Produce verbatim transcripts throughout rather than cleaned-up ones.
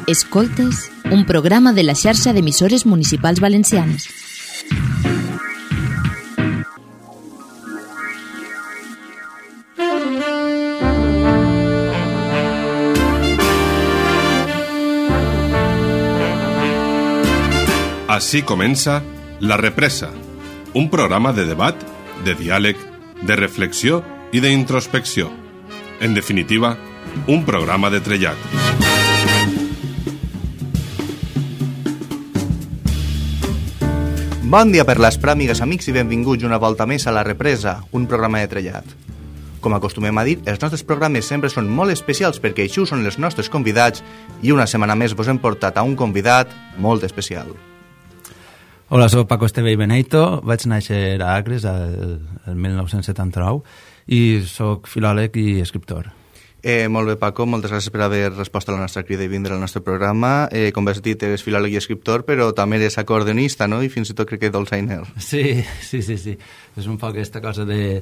Escoltes, un programa de la xarxa d'emissores municipals valencianes. Així comença La Represa, un programa de debat, de diàleg, de reflexió i d'introspecció. En definitiva, un programa de trellat. Bon dia per les pràmigues, amics, i benvinguts una volta més a La Represa, un programa de trellat. Com acostumem a dir, els nostres programes sempre són molt especials perquè així són els nostres convidats i una setmana més vos hem portat a un convidat molt especial. Hola, soc Paco Esteve i Beneito, vaig néixer a Agres el, el mil nou-cents setanta-nou i soc filòleg i escriptor. Eh, molt bé, Paco, moltes gràcies per haver respost a la nostra crida i vindre al nostre programa. Eh, com has dit, eres filòleg i escriptor, però també eres acordeonista, no? I fins i tot crec que dolçainer. Sí, sí, sí, sí. És un poc aquesta cosa de...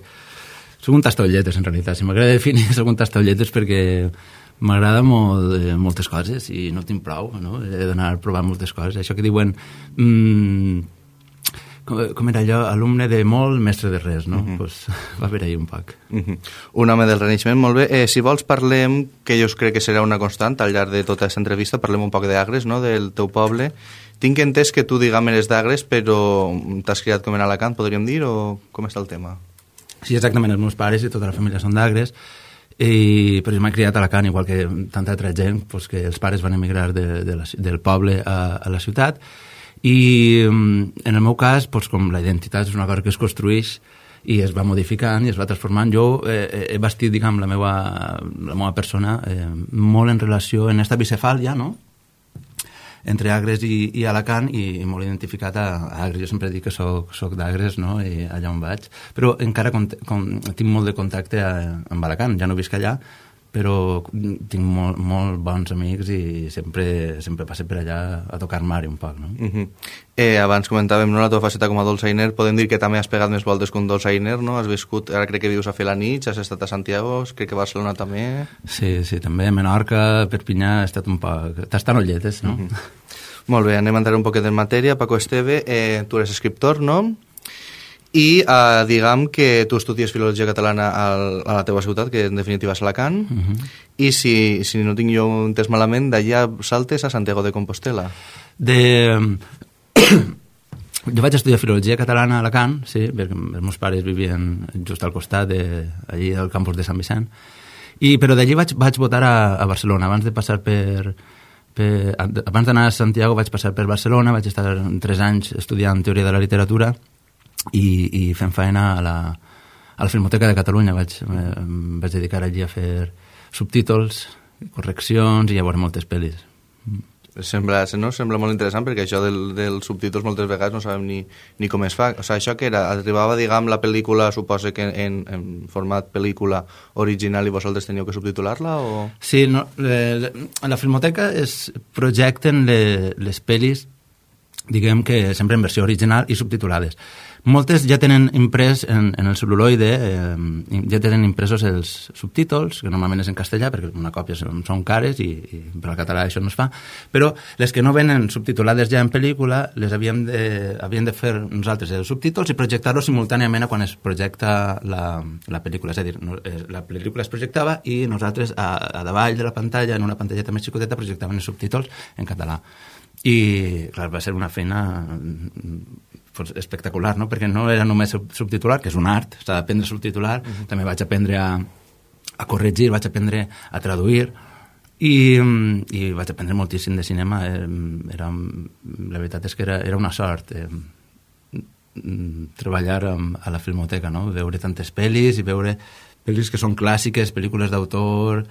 Soc un tastolletes, en realitat. Si m'agrada definir, soc un tastolletes perquè m'agrada molt, eh, moltes coses i no tinc prou, no? He d'anar provant moltes coses. Això que diuen... Mm, com, com era allò? Alumne de molt, mestre de res, no? Uh-huh. Pues, va haver ahí un poc. Uh-huh. Un home del Renaixement, molt bé. Eh, si vols parlem, que jo crec que serà una constant al llarg de tota aquesta entrevista, parlem un poc d'Agres, no? Del teu poble. Tinc entès que tu, diguem, eres d'Agres, però t'has criat com en Alacant, podríem dir, o com està el tema? Sí, exactament. Els meus pares i tota la família són d'Agres. I, però jo m'he criat a Alacant, igual que tanta altra gent, pues, que els pares van emigrar de, de la, del poble a, a la ciutat, i en el meu cas, pues, com la identitat és una cosa que es construeix i es va modificant i es va transformant, jo eh, he bastit, diguem, la meva, la meva persona eh, molt en relació en esta bicefàlia, no?, entre Agres i, i Alacant, i, i molt identificat a, a Agres. Jo sempre dic que soc, soc d'Agres, no?, i allà on vaig, però encara com, com, tinc molt de contacte a, amb Alacant. Ja no visc allà, però tinc molt, molt bons amics i sempre, sempre passe per allà a tocar mar un poc, no? Uh-huh. eh, abans comentàvem, no, la teva faceta com a dolçainer, podem dir que també has pegat més voltes que un dolçainer, no? Has viscut, ara crec que vius a Felanitx, has estat a Santiago, crec que a Barcelona també. Sí, sí, també a Menorca, Perpinyà, he estat un poc... Tastanolletes, no? Uh-huh. Molt bé, anem a entrar un poquet en matèria. Paco Esteve, eh, tu eres escriptor, no? I eh, diguem que tu estudies filologia catalana al, a la teva ciutat, que en definitiva és Alacant, uh-huh. I si, si no tinc jo entès malament, d'allà saltes a Santiago de Compostela. De... Jo vaig estudiar filologia catalana a Alacant, sí, perquè els meus pares vivien just al costat, de, allí al campus de Sant Vicent, i, però d'allí vaig, vaig votar a, a Barcelona, abans de passar per... per abans d'anar a Santiago vaig passar per Barcelona, vaig estar tres anys estudiant teoria de la literatura, i, i fent feina a la, a la Filmoteca de Catalunya. Vaig, em vaig dedicar allí a fer subtítols, correccions i a veure moltes pel·lis. Sembla, no? Sembla molt interessant perquè això del, dels subtítols moltes vegades no sabem ni, ni com es fa. O sigui, això que era, arribava, diguem, la pel·lícula, suposa que en, en format pel·lícula original i vosaltres teníeu que subtitular-la? O... Sí, no, le, a la Filmoteca es projecten le, les pel·lis, diguem que sempre en versió original i subtitulades. Moltes ja tenen imprès en, en el cel·luloide, eh, ja tenen impresos els subtítols, que normalment és en castellà, perquè una còpia són, són cares i, i per al català això no es fa, però les que no venen subtitulades ja en pel·lícula, les havíem de, havíem de fer nosaltres els subtítols i projectar-los simultàniament a quan es projecta la, la pel·lícula. És a dir, no, la pel·lícula es projectava i nosaltres a, a davall de la pantalla, en una pantalleta més xicoteta, projectaven els subtítols en català. I, clar, va ser una feina pues, espectacular, no? Perquè no era només subtitular, que és un art, s'ha d'aprendre a subtitular, uh-huh. També vaig aprendre a, a corregir, vaig aprendre a traduir, i, i vaig aprendre moltíssim de cinema. Era, la veritat és que era, era una sort eh, treballar a la Filmoteca, no? Veure tantes pel·lis i veure pel·lis que són clàssiques, pel·lícules d'autor...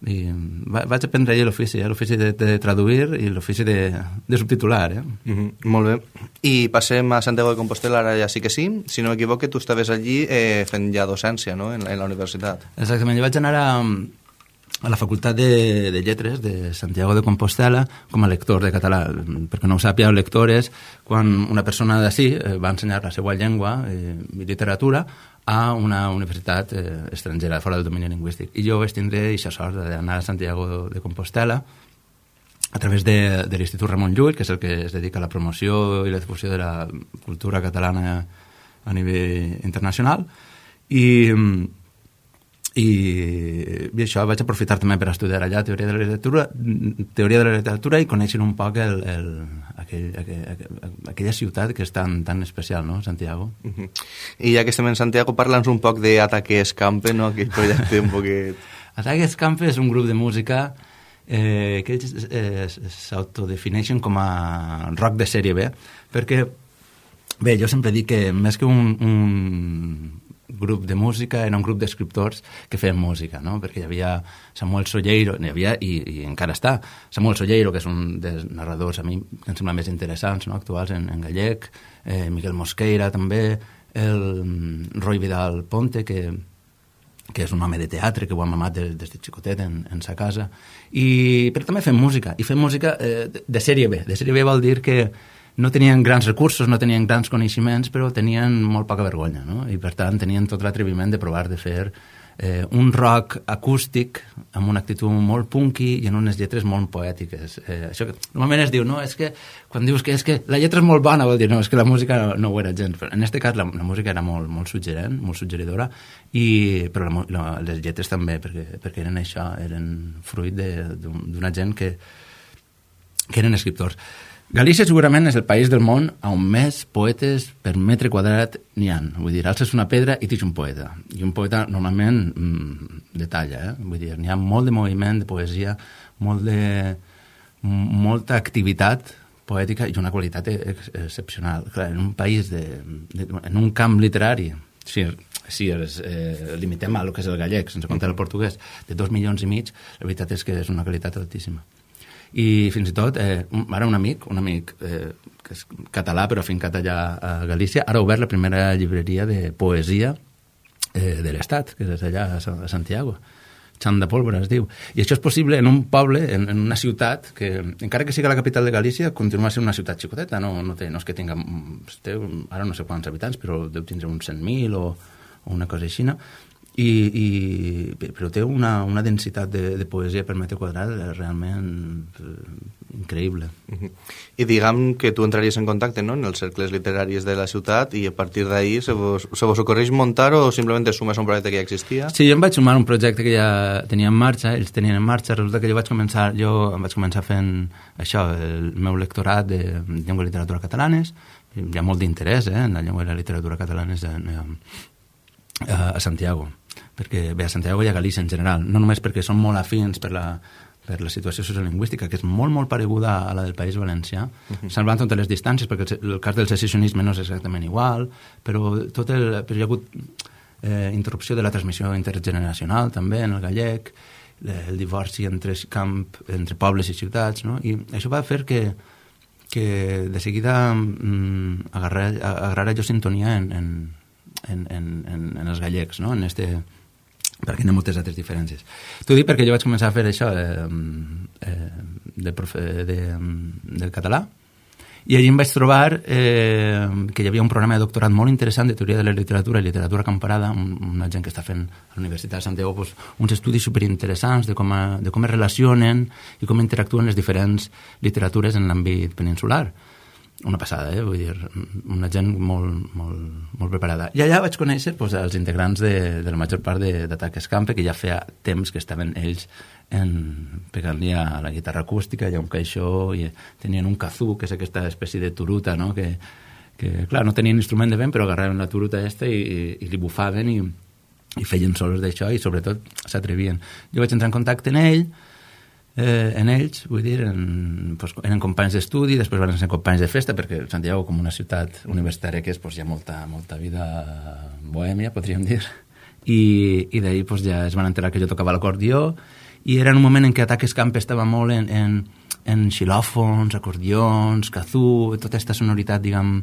I vaig aprendre allà l'ofici, eh? L'ofici de, de traduir i l'ofici de, de subtitular. Eh? Mm-hmm. Molt bé. I passem a Santiago de Compostela, ara ja sí que sí. Si no m'equivoco, tu estaves allí eh, fent ja docència, no?, en, en la universitat. Exactament. Jo vaig anar a, a la Facultat de, de Lletres de Santiago de Compostela com a lector de català. Perquè no ho sàpiga, el lector és quan una persona d'ací eh, va ensenyar la seva llengua eh, i literatura a una universitat eh, estrangera, fora del domini lingüístic. I jo vaig tindre aquesta sort d'anar a Santiago de Compostela a través de, de l'Institut Ramon Llull, que és el que es dedica a la promoció i la difusió de la cultura catalana a nivell internacional, i, i, i això vaig aprofitar també per estudiar allà teoria de la literatura, teoria de la literatura i conèixer un poc el, el, aquell, aquell, aquella ciutat que és tan, tan especial, no?, Santiago. Uh-huh. I ja que estem en Santiago, parla'ns un poc d'Ataque Escampe, no?, aquell projecte un poquet... Ataque Escampe és un grup de música eh, que eh, s'autodefineixen com a rock de sèrie B, perquè, bé, jo sempre dic que més que un, un grup de música era un grup d'escriptors que feien música, no?, perquè hi havia Samuel Solleiro, hi havia, i, i encara està, Samuel Solleiro, que és un dels narradors a mi que em sembla més interessants, no?, actuals en, en gallec, eh, Miguel Mosqueira també, el Roy Vidal Ponte, que que és un home de teatre, que ho ha mamat des, des de xicotet en, en sa casa, i, però també fem música, i fem música eh, de, de sèrie B. De sèrie B vol dir que no tenien grans recursos, no tenien grans coneixements, però tenien molt poca vergonya, no? I per tant tenien tot l'atreviment de provar de fer eh, un rock acústic amb una actitud molt punky i en unes lletres molt poètiques. Eh, això que normalment es diu, no, és que quan dius que és que la lletra és molt bona, vol dir, no, és que la música no, no ho era gens. Però en aquest cas la, la música era molt, molt suggerent, molt suggeridora, i, però la, la, les lletres també, perquè, perquè eren això, eren fruit d'una gent que, que eren escriptors. Galícia segurament és el país del món on més poetes per metre quadrat n'hi ha. Vull dir, alces una pedra i tens un poeta. I un poeta normalment mmm, de talla, eh? Vull dir, n'hi ha molt de moviment, de poesia, molt de, molta activitat poètica i una qualitat ex excepcional. Clar, en un país, de, de, en un camp literari, si, si es eh, limitem a lo que és el gallec, sense comptar el portuguès, de dos milions i mig, la veritat és que és una qualitat altíssima. I fins i tot, eh, ara un amic, un amic eh, que és català però afincat allà a Galícia, ara ha obert la primera llibreria de poesia eh, de l'Estat, que és allà a Santiago. Xan de Pólvora es diu. I això és possible en un poble, en, en una ciutat que, encara que sigui la capital de Galícia, continua sent una ciutat xicoteta, no, no, té, no és que tinga, té, ara no sé quants habitants, però deu tindre uns cent mil o, o una cosa així, no? I, i, però té una, una densitat de, de poesia per metre quadrat realment eh, increïble. Uh-huh. I diguem que tu entraries en contacte, no?, en els cercles literaris de la ciutat i a partir d'ahir se vos, se vos ocorreix muntar o simplement te sumes a un projecte que ja existia? Sí, jo em vaig sumar a un projecte que ja tenia en marxa, ells tenien en marxa, resulta que jo vaig començar, jo em vaig començar fent això, el meu lectorat de llengua i literatura catalanes, hi ha molt d'interès eh, en la llengua i la literatura catalanes a, a, a Santiago, perquè bé, a Santiago i a Galícia en general, no només perquè són molt afins per la, per la situació sociolingüística, que és molt, molt pareguda a la del País Valencià, uh-huh. salvant totes les distàncies, perquè el, el cas del secessionisme no és exactament igual, però, tot el, però hi ha hagut eh, interrupció de la transmissió intergeneracional, també, en el gallec, el divorci entre, camp, entre pobles i ciutats, no? I això va fer que, que de seguida mm, agarrar, agarrar jo sintonia en, en, en, en, en, en els gallecs, no? En este... perquè hi ha moltes altres diferències. T'ho dic perquè jo vaig començar a fer això eh, eh, de profe, de, del català i allí em vaig trobar eh, que hi havia un programa de doctorat molt interessant de teoria de la literatura i literatura comparada, un, una gent que està fent a la Universitat de Santiago pues, uns estudis superinteressants de com, a, de com es relacionen i com interactuen les diferents literatures en l'àmbit peninsular. Una passada, eh? Vull dir, una gent molt, molt, molt preparada. I allà vaig conèixer pues, els integrants de, de la major part d'Ataque Escampe, que ja feia temps que estaven ells en, pegant-li a la guitarra acústica i a un caixó, i tenien un kazoo, que és aquesta espècie de turuta, no? que, que, clar, no tenien instrument de vent, però agarraven la turuta esta i, i, i li bufaven i, i feien solos d'això i, sobretot, s'atrevien. Jo vaig entrar en contacte amb ell, Eh, en ells, vull dir, en, pues, eren companys d'estudi, després van ser companys de festa, perquè Santiago, com una ciutat universitària que és, pues, hi ha molta, molta vida bohèmia, podríem dir, i, i d'ahir pues, ja es van enterar que jo tocava l'acordió, i era en un moment en què Ataque Escampe estava molt en, en, en xilòfons, acordions, kazoo, tota aquesta sonoritat, diguem...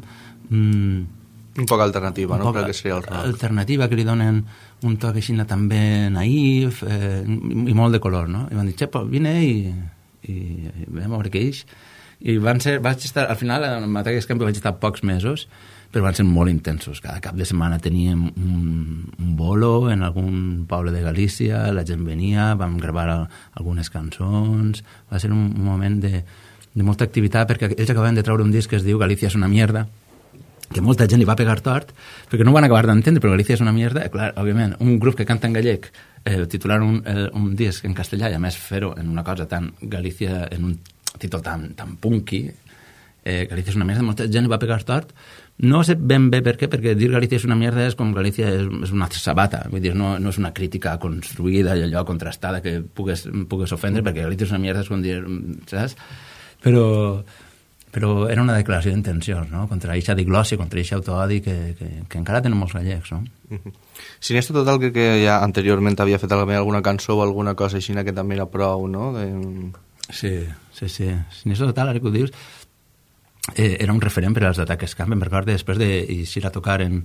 Mm, un poc alternativa, no? Crec que seria el rock. Alternativa, que li donen un toc així també naïf eh, i molt de color, no? I van dir, xepa, vine i, i, i vam veure què és. I van ser, vaig estar, al final, en Matacas Camp vaig estar pocs mesos, però van ser molt intensos. Cada cap de setmana teníem un, un bolo en algun poble de Galícia, la gent venia, vam gravar algunes cançons, va ser un, un moment de, de molta activitat, perquè ells acabaven de treure un disc que es diu Galícia és una mierda, que molta gent li va pegar tort, perquè no ho van acabar d'entendre, però Galícia és una mierda. Clar, òbviament, un grup que canta en gallec, eh, titular un, eh, un disc en castellà, i a més fer-ho en una cosa tan Galícia, en un títol tan, tan punky, eh, Galícia és una mierda, molta gent li va pegar tort. No sé ben bé per què, perquè dir Galícia és una mierda és com Galícia és, és una sabata, vull dir, no, no és una crítica construïda i allò contrastada que pugues, pugues ofendre, perquè Galícia és una mierda és com dir, saps? Però, però era una declaració d'intencions, no? Contra eixa diglòssia, contra eixa autoodi que, que, que encara tenen molts gallecs, no? Siniestro Total, crec que ja anteriorment havia fet alguna cançó o alguna cosa així que també era prou, no? De... Sí, sí, sí. Siniestro Total, ara que ho dius, Eh, era un referent per als Ataques Camp. Em recordo després d'eixir a tocar en,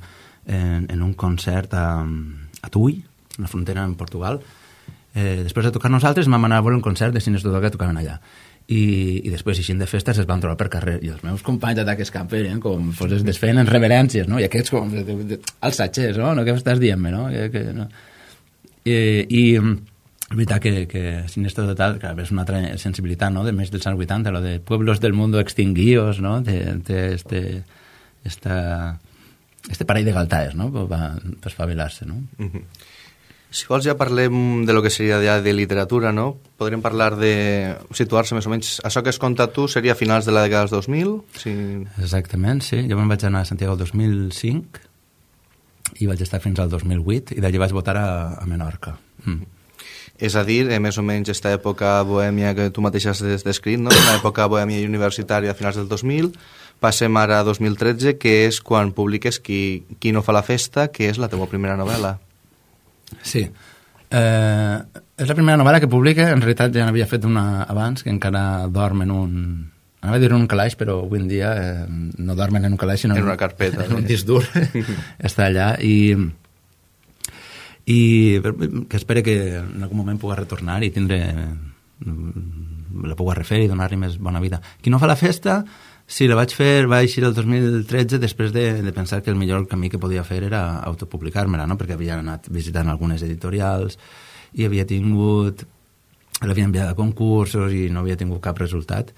en, en un concert a, a Tui, a la frontera en Portugal. Eh, després de tocar nosaltres vam anar a veure un concert de Siniestro Total que tocaven allà. I, i després, eixint de festes, es van trobar per carrer. I els meus companys d'Ataques Camp eren com fos es desfeien en reverències, no? I aquests com els satxers, no? No, què estàs dient-me, no? Que, que, no? I... i és veritat que, que Siniestro Total, que és una altra sensibilitat, no?, de més dels anys vuitanta, lo de pueblos del mundo extinguidos, no?, de, de este, esta, este parell de galtaes, no?, per, per espavilar-se, no? Uh-huh. Si vols ja parlem de lo que seria ja de literatura, no? Podríem parlar de situar-se més o menys... Això que has contat tu seria a finals de la dècada dels dos mil? Si... Exactament, sí. Jo me'n vaig anar a Santiago el dos mil cinc i vaig estar fins al dos mil vuit i d'allí vaig votar a, a Menorca. Mm. És a dir, eh, més o menys aquesta època bohèmia que tu mateix has descrit, no? Una època bohèmia universitària a finals del dos mil, passem ara a dos mil tretze, que és quan publiques Qui, qui no fa la festa, que és la teva primera novel·la. Sí. Eh, és la primera novel·la que publica, en realitat ja n'havia fet una abans, que encara dorm en un... Anava a dir un calaix, però avui en dia eh, no dormen en un calaix, sinó en una carpeta. En un disc dur. Està allà i... i que espero que en algun moment pugui retornar i tindre la pugui refer i donar-li més bona vida. Qui no fa la festa, sí, la vaig fer, va eixir el dos mil tretze després de, de pensar que el millor camí que podia fer era autopublicar-me-la, no? Perquè havia anat visitant algunes editorials i havia tingut, l'havia enviat a concursos i no havia tingut cap resultat.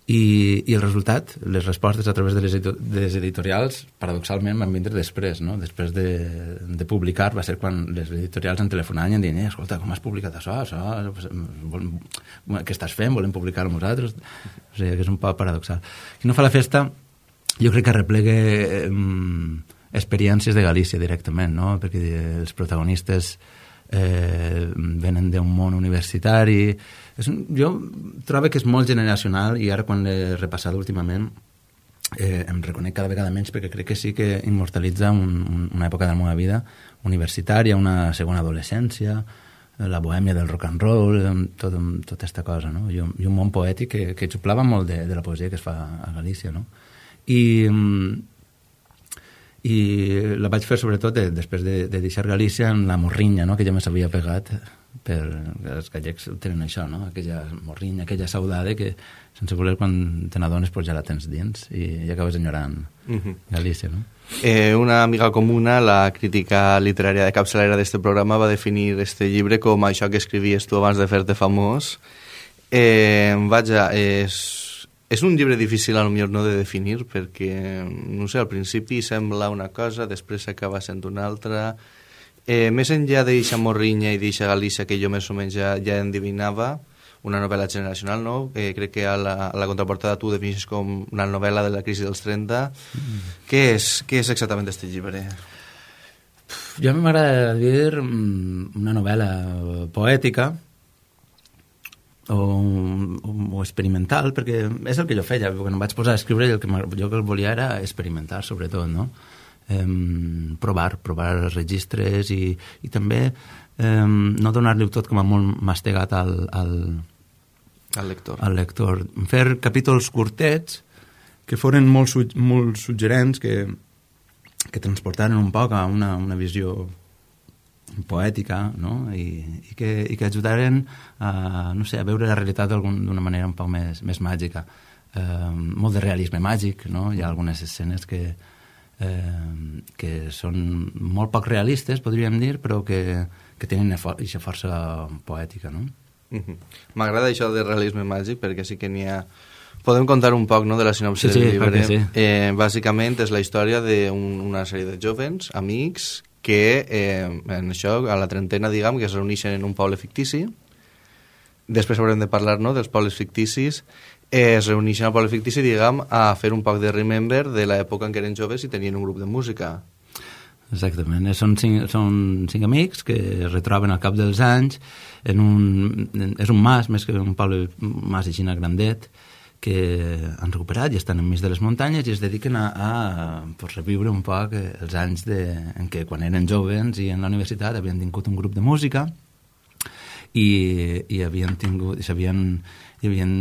I, i el resultat, les respostes a través de les, edito de les editorials, paradoxalment van vindre després, no? Després de, de publicar va ser quan les editorials em telefonaven i em deien, eh, escolta, com has publicat això? això? Què estàs fent? Volem publicar-ho amb nosaltres? O sigui, que és un poc paradoxal. Qui no fa la festa, jo crec que replega eh, experiències de Galícia directament, no? Perquè els protagonistes eh, venen d'un món universitari. És un, jo trobo que és molt generacional i ara quan l'he repassat últimament eh, em reconec cada vegada menys perquè crec que sí que immortalitza un, un, una època de la meva vida universitària, una segona adolescència, la bohèmia del rock and roll, tot, tota aquesta cosa, no? I, i un món poètic que, que xuplava molt de, de la poesia que es fa a Galícia, no? I... i la vaig fer sobretot de, després de, de deixar Galícia en la morrinya, no? Que ja me s'havia pegat per els gallecs tenen això, no? Aquella morrinya, aquella saudade que sense voler quan te n'adones pues ja la tens dins i, i acabes enyorant uh-huh. Galícia, no? Eh, una amiga comuna, la crítica literària de capçalera d'este programa, va definir este llibre com això que escrivies tu abans de fer-te famós. Eh, vaja, és... És un llibre difícil, a lo millor, no de definir, perquè, no sé, al principi sembla una cosa, després acaba sent una altra. Eh, més enllà d'eixa morrinya i d'eixa Galícia que jo més o menys ja, ja endivinava, una novel·la generacional, no? Eh, crec que a la, a la contraportada tu defineixes com una novel·la de la crisi dels trenta. Mm. Què és, què és exactament aquest llibre? Jo a mi m'agrada dir una novel·la poètica, O, o, o experimental, perquè és el que jo feia, quan em vaig posar a escriure el que jo que volia era experimentar sobretot, no? Um, provar, provar registres i, i també um, no donar-li tot com a molt mastegat al, al, al, lector. al lector. Fer capítols curtets que foren molt, su molt suggerents, que, que transportaren un poc a una, una visió poètica, no? I, i, que, i que ajudaren a, no sé, a veure la realitat d'una manera un poc més, més màgica. eh, molt de realisme màgic, no? Hi ha algunes escenes que, eh, que són molt poc realistes, podríem dir, però que, que tenen aquesta força poètica, no? Mm-hmm. M'agrada això de realisme màgic perquè sí que n'hi ha... Podem contar un poc, no?, de la sinopsi sí, del sí, llibre. Sí. Eh, bàsicament és la història d'una sèrie de jovens, amics, que eh, en això, a la trentena, diguem, que es reuneixen en un poble fictici. Després haurem de parlar, no?, dels pobles ficticis. Eh, es reuneixen al poble fictici, diguem, a fer un poc de remember de l'època en què eren joves i tenien un grup de música. Exactament, són cinc, són cinc amics que es retroben al cap dels anys en un... En, és un mas, més que un poble, un mas així grandet, que han recuperat i estan enmig de les muntanyes i es dediquen a, a pues, reviure un poc els anys de, en què quan eren joves i en la universitat havien tingut un grup de música i, i havien tingut, s'havien i havien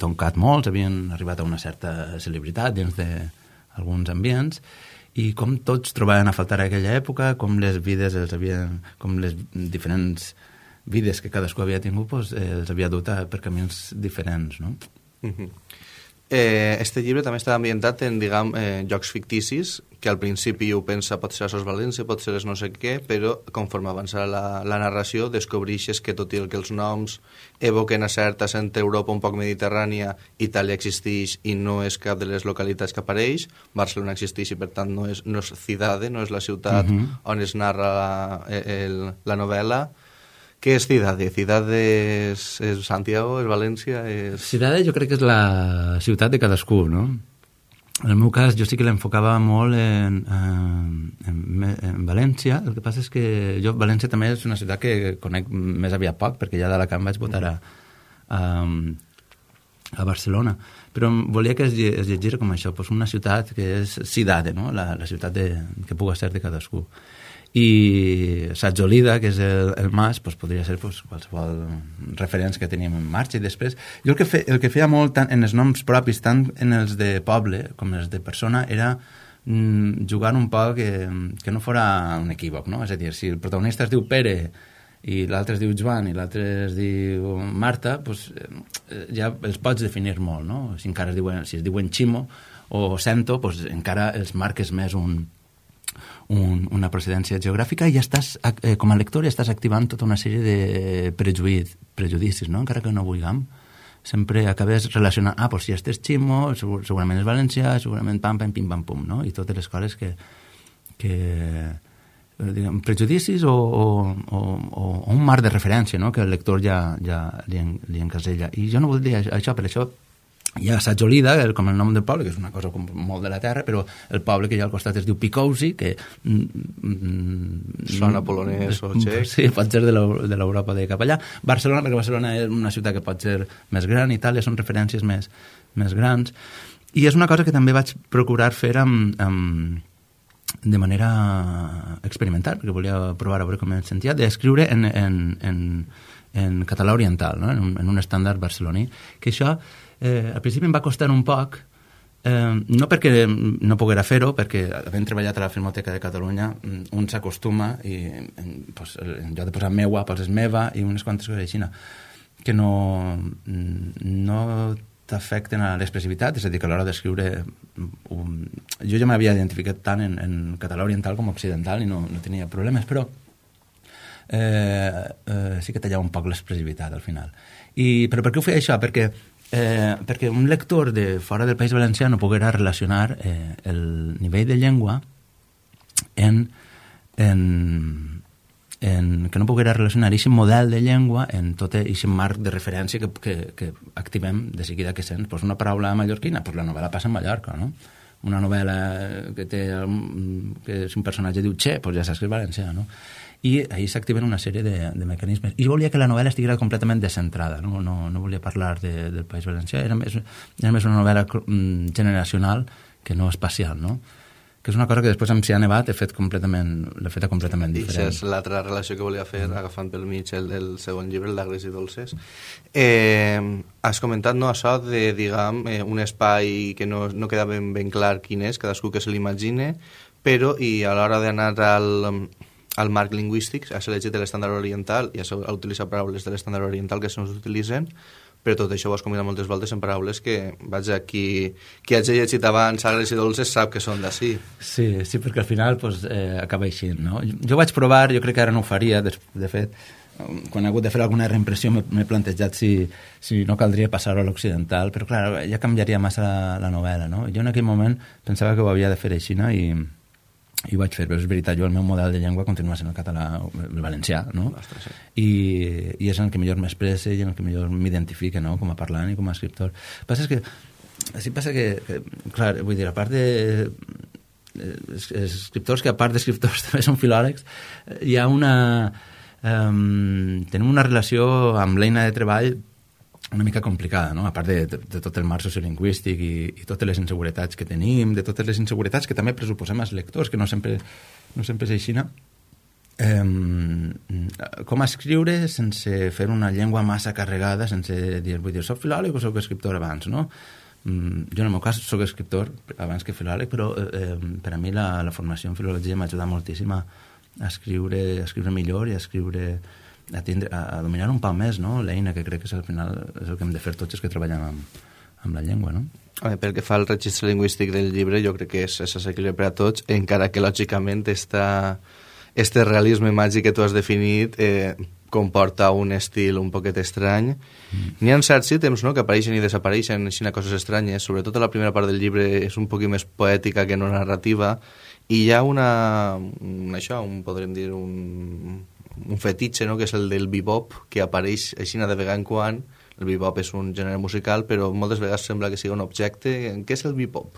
toncat molts, havien arribat a una certa celebritat dins d'alguns ambients i com tots trobaven a faltar a aquella època, com les vides els havien, com les diferents vides que cadascú havia tingut pues, eh, els havia dut a, per camins diferents, no? Uh-huh. Eh, este llibre també està ambientat en, diguem, eh, llocs ficticis, que al principi ho pensa pot ser a Sos València, pot ser no sé què, però conforme avança la, la narració descobreixes que tot i el que els noms evoquen a certa centre Europa un poc mediterrània, Itàlia existeix i no és cap de les localitats que apareix, Barcelona existeix i per tant no és, no és Cidade, no és la ciutat uh-huh. on es narra la, el, la novel·la. Què és Cidade? Cidade és, és Santiago, és València? És... Cidade jo crec que és la ciutat de cadascú, no? En el meu cas jo sí que l'enfocava molt en, en, en València, el que passa és que jo València també és una ciutat que conec més aviat poc, perquè ja d'Alacant vaig votar a, a, a Barcelona, però volia que es, es llegís com això, pues una ciutat que és Cidade, no? la, la ciutat de, que puga ser de cadascú. I Satjolida, que és el, el mas, pues, podria ser pues, qualsevol referència que teníem en marxa. I després, jo el que, fe, el que feia molt tant en els noms propis, tant en els de poble com els de persona, era mm, jugar un poc que, que no fora un equívoc, no? És a dir, si el protagonista es diu Pere i l'altre es diu Joan i l'altre es diu Marta, pues, ja els pots definir molt, no? Si encara es diuen, si es diuen Ximo o Sento, pues, encara els marques més un... Un, una procedència geogràfica i ja estàs, eh, com a lector ja estàs activant tota una sèrie de prejuïts, prejudicis, no? Encara que no vulguem, sempre acabes relacionant, ah, pues si este és Ximo, segur, segurament és valencià, segurament pam, pam, pim, pam, pum, no? I totes les coses que, que diguem, prejudicis o, o, o, o un marc de referència, no? Que el lector ja, ja li, en, li encasella. I jo no voldria això, per això hi ha Satjolida, el, com el nom del poble, que és una cosa com molt de la terra, però el poble que hi ha al costat es diu Picousi, que... Mm, sona polonès o txec. Sí, pot ser de l'Europa de cap allà. Barcelona, perquè Barcelona és una ciutat que pot ser més gran, Itàlia són referències més, més grans. I és una cosa que també vaig procurar fer amb, amb, de manera experimental, perquè volia provar a veure com em sentia, d'escriure en, en, en, en català oriental, no? en, un, en un estàndard barceloní, que això... Eh, al principi em va costar un poc, eh, no perquè no poguera fer-ho, perquè havent treballat a la Filmoteca de Catalunya un s'acostuma i pues, en lloc de posar meua poses meva i unes quantes coses així que no, no t'afecten a l'expressivitat, és a dir, que a l'hora d'escriure um, jo ja m'havia identificat tant en, en català oriental com occidental i no, no tenia problemes, però eh, eh, sí que tallava un poc l'expressivitat al final. I, però per què ho feia això? Perquè Eh, perquè un lector de fora del País Valencià no poguera relacionar eh, el nivell de llengua en, en, en que no poguera relacionar aquest model de llengua en tot aquest marc de referència que, que, que activem de seguida que sents pues una paraula mallorquina, pues la novel·la passa en Mallorca, no? Una novel·la que té que si un personatge diu Che, pues ja saps que és valencià, no? I ahir s'activen una sèrie de, de mecanismes. I volia que la novel·la estiguera completament descentrada, no, no, no volia parlar de, del País Valencià, era més, era més una novel·la generacional que no espacial, no? Que és una cosa que després amb Cian Nevat he fet completament, l'he feta completament diferent. I és l'altra relació que volia fer, agafant pel mig el del segon llibre, el d'Agres i Dolces. Eh, has comentat, no, això de, diguem, eh, un espai que no, no queda ben, ben clar quin és, cadascú que se l'imagine, però i a l'hora d'anar al... al marc lingüístic, has elegit l'estàndard oriental i has utilitzat paraules de l'estàndard oriental que se'ns utilitzen, però tot això ho has combinat moltes voltes en paraules que, vaja, qui, qui hagi llegit abans Agres i Dolces sap que són d'ací. Sí, sí, perquè al final pues, eh, acaba així, no? Jo, jo vaig provar, jo crec que ara no ho faria, de, de fet, quan he hagut de fer alguna reimpressió m'he plantejat si, si no caldria passar-ho a l'occidental, però clar, ja canviaria massa la, la novel·la, no? Jo en aquell moment pensava que ho havia de fer així, no? I, i ho vaig fer, però és veritat, jo el meu model de llengua continua sent el català, el valencià, no? Ostres, sí. I, i és en el que millor m'expressa i en el que millor m'identifica, no? Com a parlant i com a escriptor. El que passa és que, sí passa que, que clar, vull dir, a part de eh, escriptors que a part d'escriptors també són filòlegs, hi ha una... Um, tenim una relació amb l'eina de treball una mica complicada, no? A part de, de, de tot el marc sociolingüístic i, i totes les inseguretats que tenim, de totes les inseguretats que també pressuposem als lectors, que no sempre, no sempre és així, no? Um, com escriure sense fer una llengua massa carregada, sense dir, vull dir, soc filòleg o soc escriptor abans, no? Um, jo en el meu cas soc escriptor abans que filòleg, però eh, per a mi la, la formació en filologia m'ha ajudat moltíssim a a escriure, a escriure millor i a escriure, a, tindre, a, a dominar un pal més, no? L'eina que crec que és al final és el que hem de fer tots els que treballem amb, amb la llengua, no? A veure, pel que fa al registre lingüístic del llibre, jo crec que és, és assequible per a tots, encara que lògicament esta, este realisme màgic que tu has definit eh, comporta un estil un poquet estrany. Mm. N'hi ha certs ítems, no?, que apareixen i desapareixen, així coses estranyes, sobretot la primera part del llibre és un poquet més poètica que no narrativa, i hi ha una, un, això, un, podríem dir, un, un fetitxe, no?, que és el del bebop, que apareix així de vegada en quan. El bebop és un gènere musical, però moltes vegades sembla que sigui un objecte. Què és el bebop?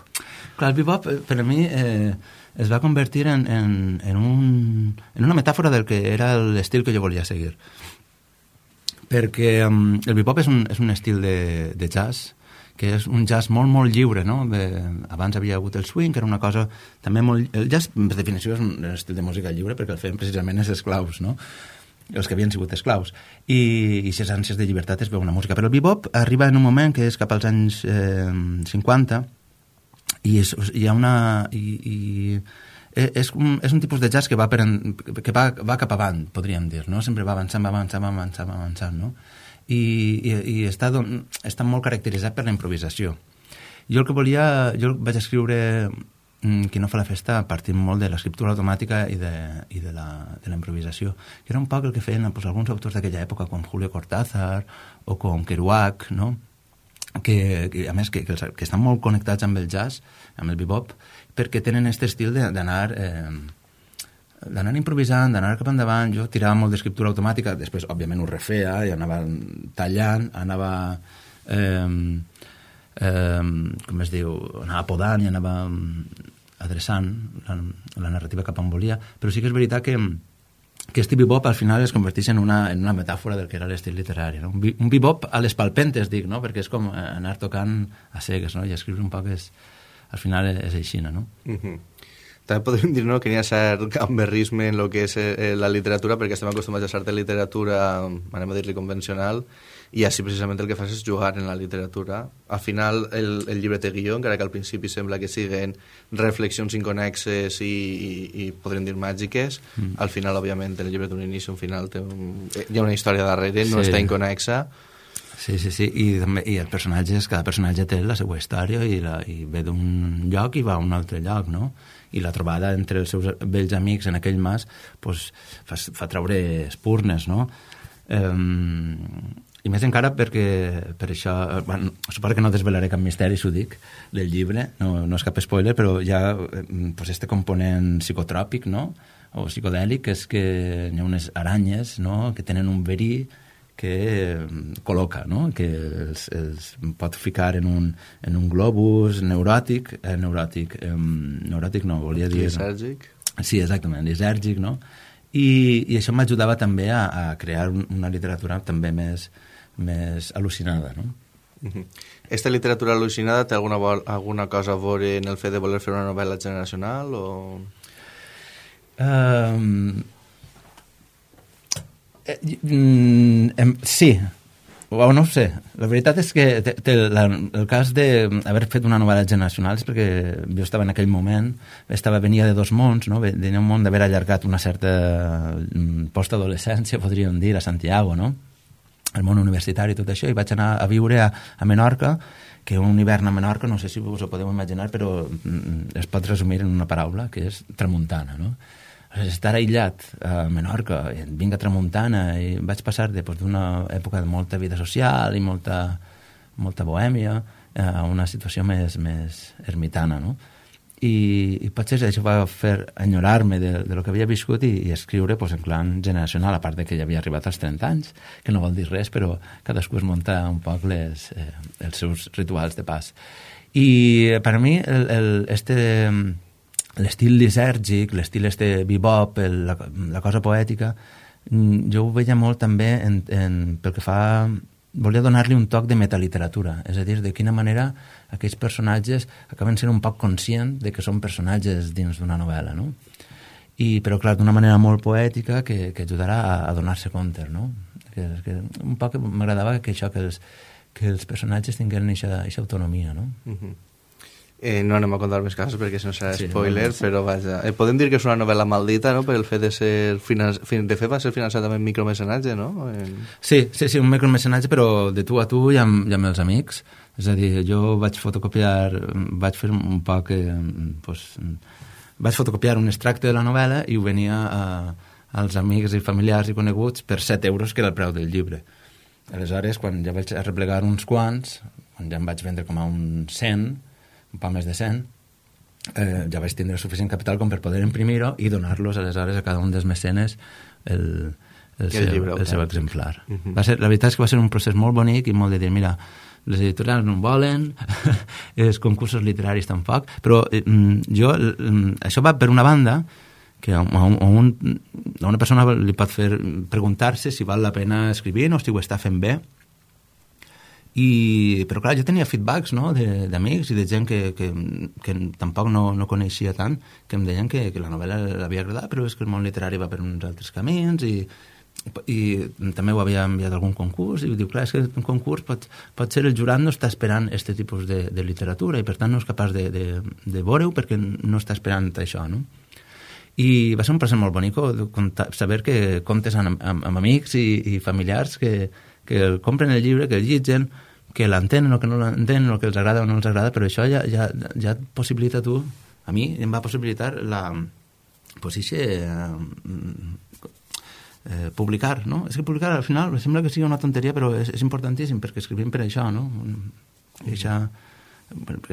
Clar, el bebop, per a mi, eh, es va convertir en, en, en, un, en una metàfora del que era l'estil que jo volia seguir. Perquè um, el bebop és un, és un estil de, de jazz, que és un jazz molt, molt lliure, no? De, abans havia hagut el swing, que era una cosa també molt... El jazz, per definició, és un estil de música lliure perquè el feien precisament els esclaus, no? Els que havien sigut esclaus. I, i aquestes ànsies de llibertat es veu una música. Però el bebop arriba en un moment que és cap als anys eh, cinquanta i és, hi ha una... I, i, és, un, és un tipus de jazz que va, per en, que va, va cap avant, podríem dir, no? Sempre va avançant, va avançant, va avançant, va avançant, no? i, i, i està, don, està molt caracteritzat per la improvisació. Jo el que volia, jo vaig escriure mm, Qui no fa la festa partint molt de l'escriptura automàtica i de, i de, la, de la improvisació, que era un poc el que feien pues, alguns autors d'aquella època, com Julio Cortázar o com Kerouac, no? que, que a més que, que, que estan molt connectats amb el jazz, amb el bebop, perquè tenen aquest estil d'anar... Eh, d'anar improvisant, d'anar cap endavant. Jo tirava molt d'escriptura automàtica, després òbviament ho refeia i anava tallant, anava eh, eh, com es diu, anava podant i anava adreçant la, la narrativa cap on volia, però sí que és veritat que que este bebop al final es converteix en una, en una metàfora del que era l'estil literari, no? Un, un bebop a les palpentes, dic, no? Perquè és com anar tocant a cegues, no? I escriure un poc és, al final és així, no? Mhm. També podríem dir no, que n'hi ha cert gamberrisme en el que és eh, la literatura, perquè estem acostumats a certa literatura, anem a dir-li convencional, i així precisament el que fas és jugar en la literatura. Al final el, el llibre té guió, encara que al principi sembla que siguin reflexions inconexes i, i, i podríem dir màgiques. Mm. Al final, òbviament, el llibre té un inici, un final, té un, hi ha una història darrere, no sí. Està inconexa. Sí, sí, sí, i, també, i els personatges, cada personatge té la seva història i, la, i ve d'un lloc i va a un altre lloc, no? I la trobada entre els seus vells amics en aquell mas pues, fa, fa treure espurnes, no? Um, I més encara perquè per això, bueno, suposo que no desvelaré cap misteri, s'ho dic, del llibre, no, no és cap spoiler, però hi ha pues, este component psicotròpic, no? O psicodèlic, que és que hi ha unes aranyes, no? Que tenen un verí que col·loca, no? Que els, els pot ficar en un, en un globus neuròtic, eh, neuròtic, eh, neuròtic no, volia dir... Lisèrgic? Sí, exactament, lisèrgic, no? I, i això m'ajudava també a, a crear una literatura també més, més al·lucinada, no? Uh-huh. Esta literatura al·lucinada té alguna, alguna cosa a veure en el fet de voler fer una novel·la generacional o...? Um, Eh, mm, sí, o no ho sé. La veritat és que te, te, la, el cas d'haver fet una novel·la generacional és perquè jo estava en aquell moment, estava, venia de dos mons, no? Venia un món d'haver allargat una certa postadolescència, podríem dir, a Santiago, no? el món universitari i tot això, i vaig anar a viure a, a Menorca, que un hivern a Menorca, no sé si us ho podeu imaginar, però es pot resumir en una paraula, que és tramuntana, no? Estar aïllat a Menorca, vinc a tramuntana, i vaig passar després d'una època de molta vida social i molta, molta bohèmia a una situació més, més ermitana, no? I, i potser això va fer enyorar-me de, de lo que havia viscut i, i escriure pues, en clan generacional, a part de que ja havia arribat als trenta anys, que no vol dir res, però cadascú es munta un poc les, eh, els seus rituals de pas. I per a mi el, el, este, l'estil lisèrgic, l'estil este bebop, el, la, la cosa poètica, jo ho veia molt també en, en, pel que fa... Volia donar-li un toc de metaliteratura, és a dir, de quina manera aquells personatges acaben sent un poc conscients de que són personatges dins d'una novel·la, no? I, però, clar, d'una manera molt poètica que, que ajudarà a, a donar-se compte, no? Que, que un poc m'agradava que això, que els, que els personatges tinguin aquesta autonomia, no? Uh-huh. Eh, no anem a contar més casos perquè si no serà sí, spoiler, no, però vaja. Eh, podem dir que és una novel·la maldita, no?, per el fet de ser... Finan... De fet va ser finançat amb micromecenatge, no? En... Sí, sí, sí, un micromecenatge, però de tu a tu i amb, i amb els amics. És a dir, jo vaig fotocopiar, vaig fer un poc... Eh, pues, vaig fotocopiar un extracte de la novel·la i ho venia a, als amics i familiars i coneguts per set euros, que era el preu del llibre. Aleshores, quan ja vaig arreplegar uns quants, quan ja em vaig vendre com a un cent, un poc més de cent, eh, ja vaig tindre suficient capital com per poder imprimir-ho i donar-los aleshores a cada un dels mecenes el, el, el, seu, llibre, el seu exemplar. Uh-huh. Va ser, la veritat és que va ser un procés molt bonic i molt de dir, mira, les editorials no en volen, els concursos literaris tampoc, però eh, jo, eh, això va per una banda que a, un, a, un, a una persona li pot fer preguntar-se si val la pena escrivir o si ho està fent bé. I, però clar, jo tenia feedbacks, no?, d'amics i de gent que, que, que tampoc no, no coneixia tant, que em deien que, que la novel·la l'havia agradat, però és que el món literari va per uns altres camins i, i també ho havia enviat a algun concurs i diu, clar, és que un concurs pot, pot ser el jurat no està esperant aquest tipus de, de literatura i per tant no és capaç de, de, de veure-ho perquè no està esperant això, no? I va ser un procés molt bonic de comptar, saber que comptes amb, amb, amb amics i, i familiars que, que compren el llibre, que el llitgen, que l'entenen o que no l'entenen, o que els agrada o no els agrada, però això ja, ja, ja et possibilita tu, a mi em va possibilitar la, pues, ixe, eh, eh, publicar, no? És que publicar al final sembla que sigui una tonteria, però és, és importantíssim, perquè escrivim per això, no? Eixa,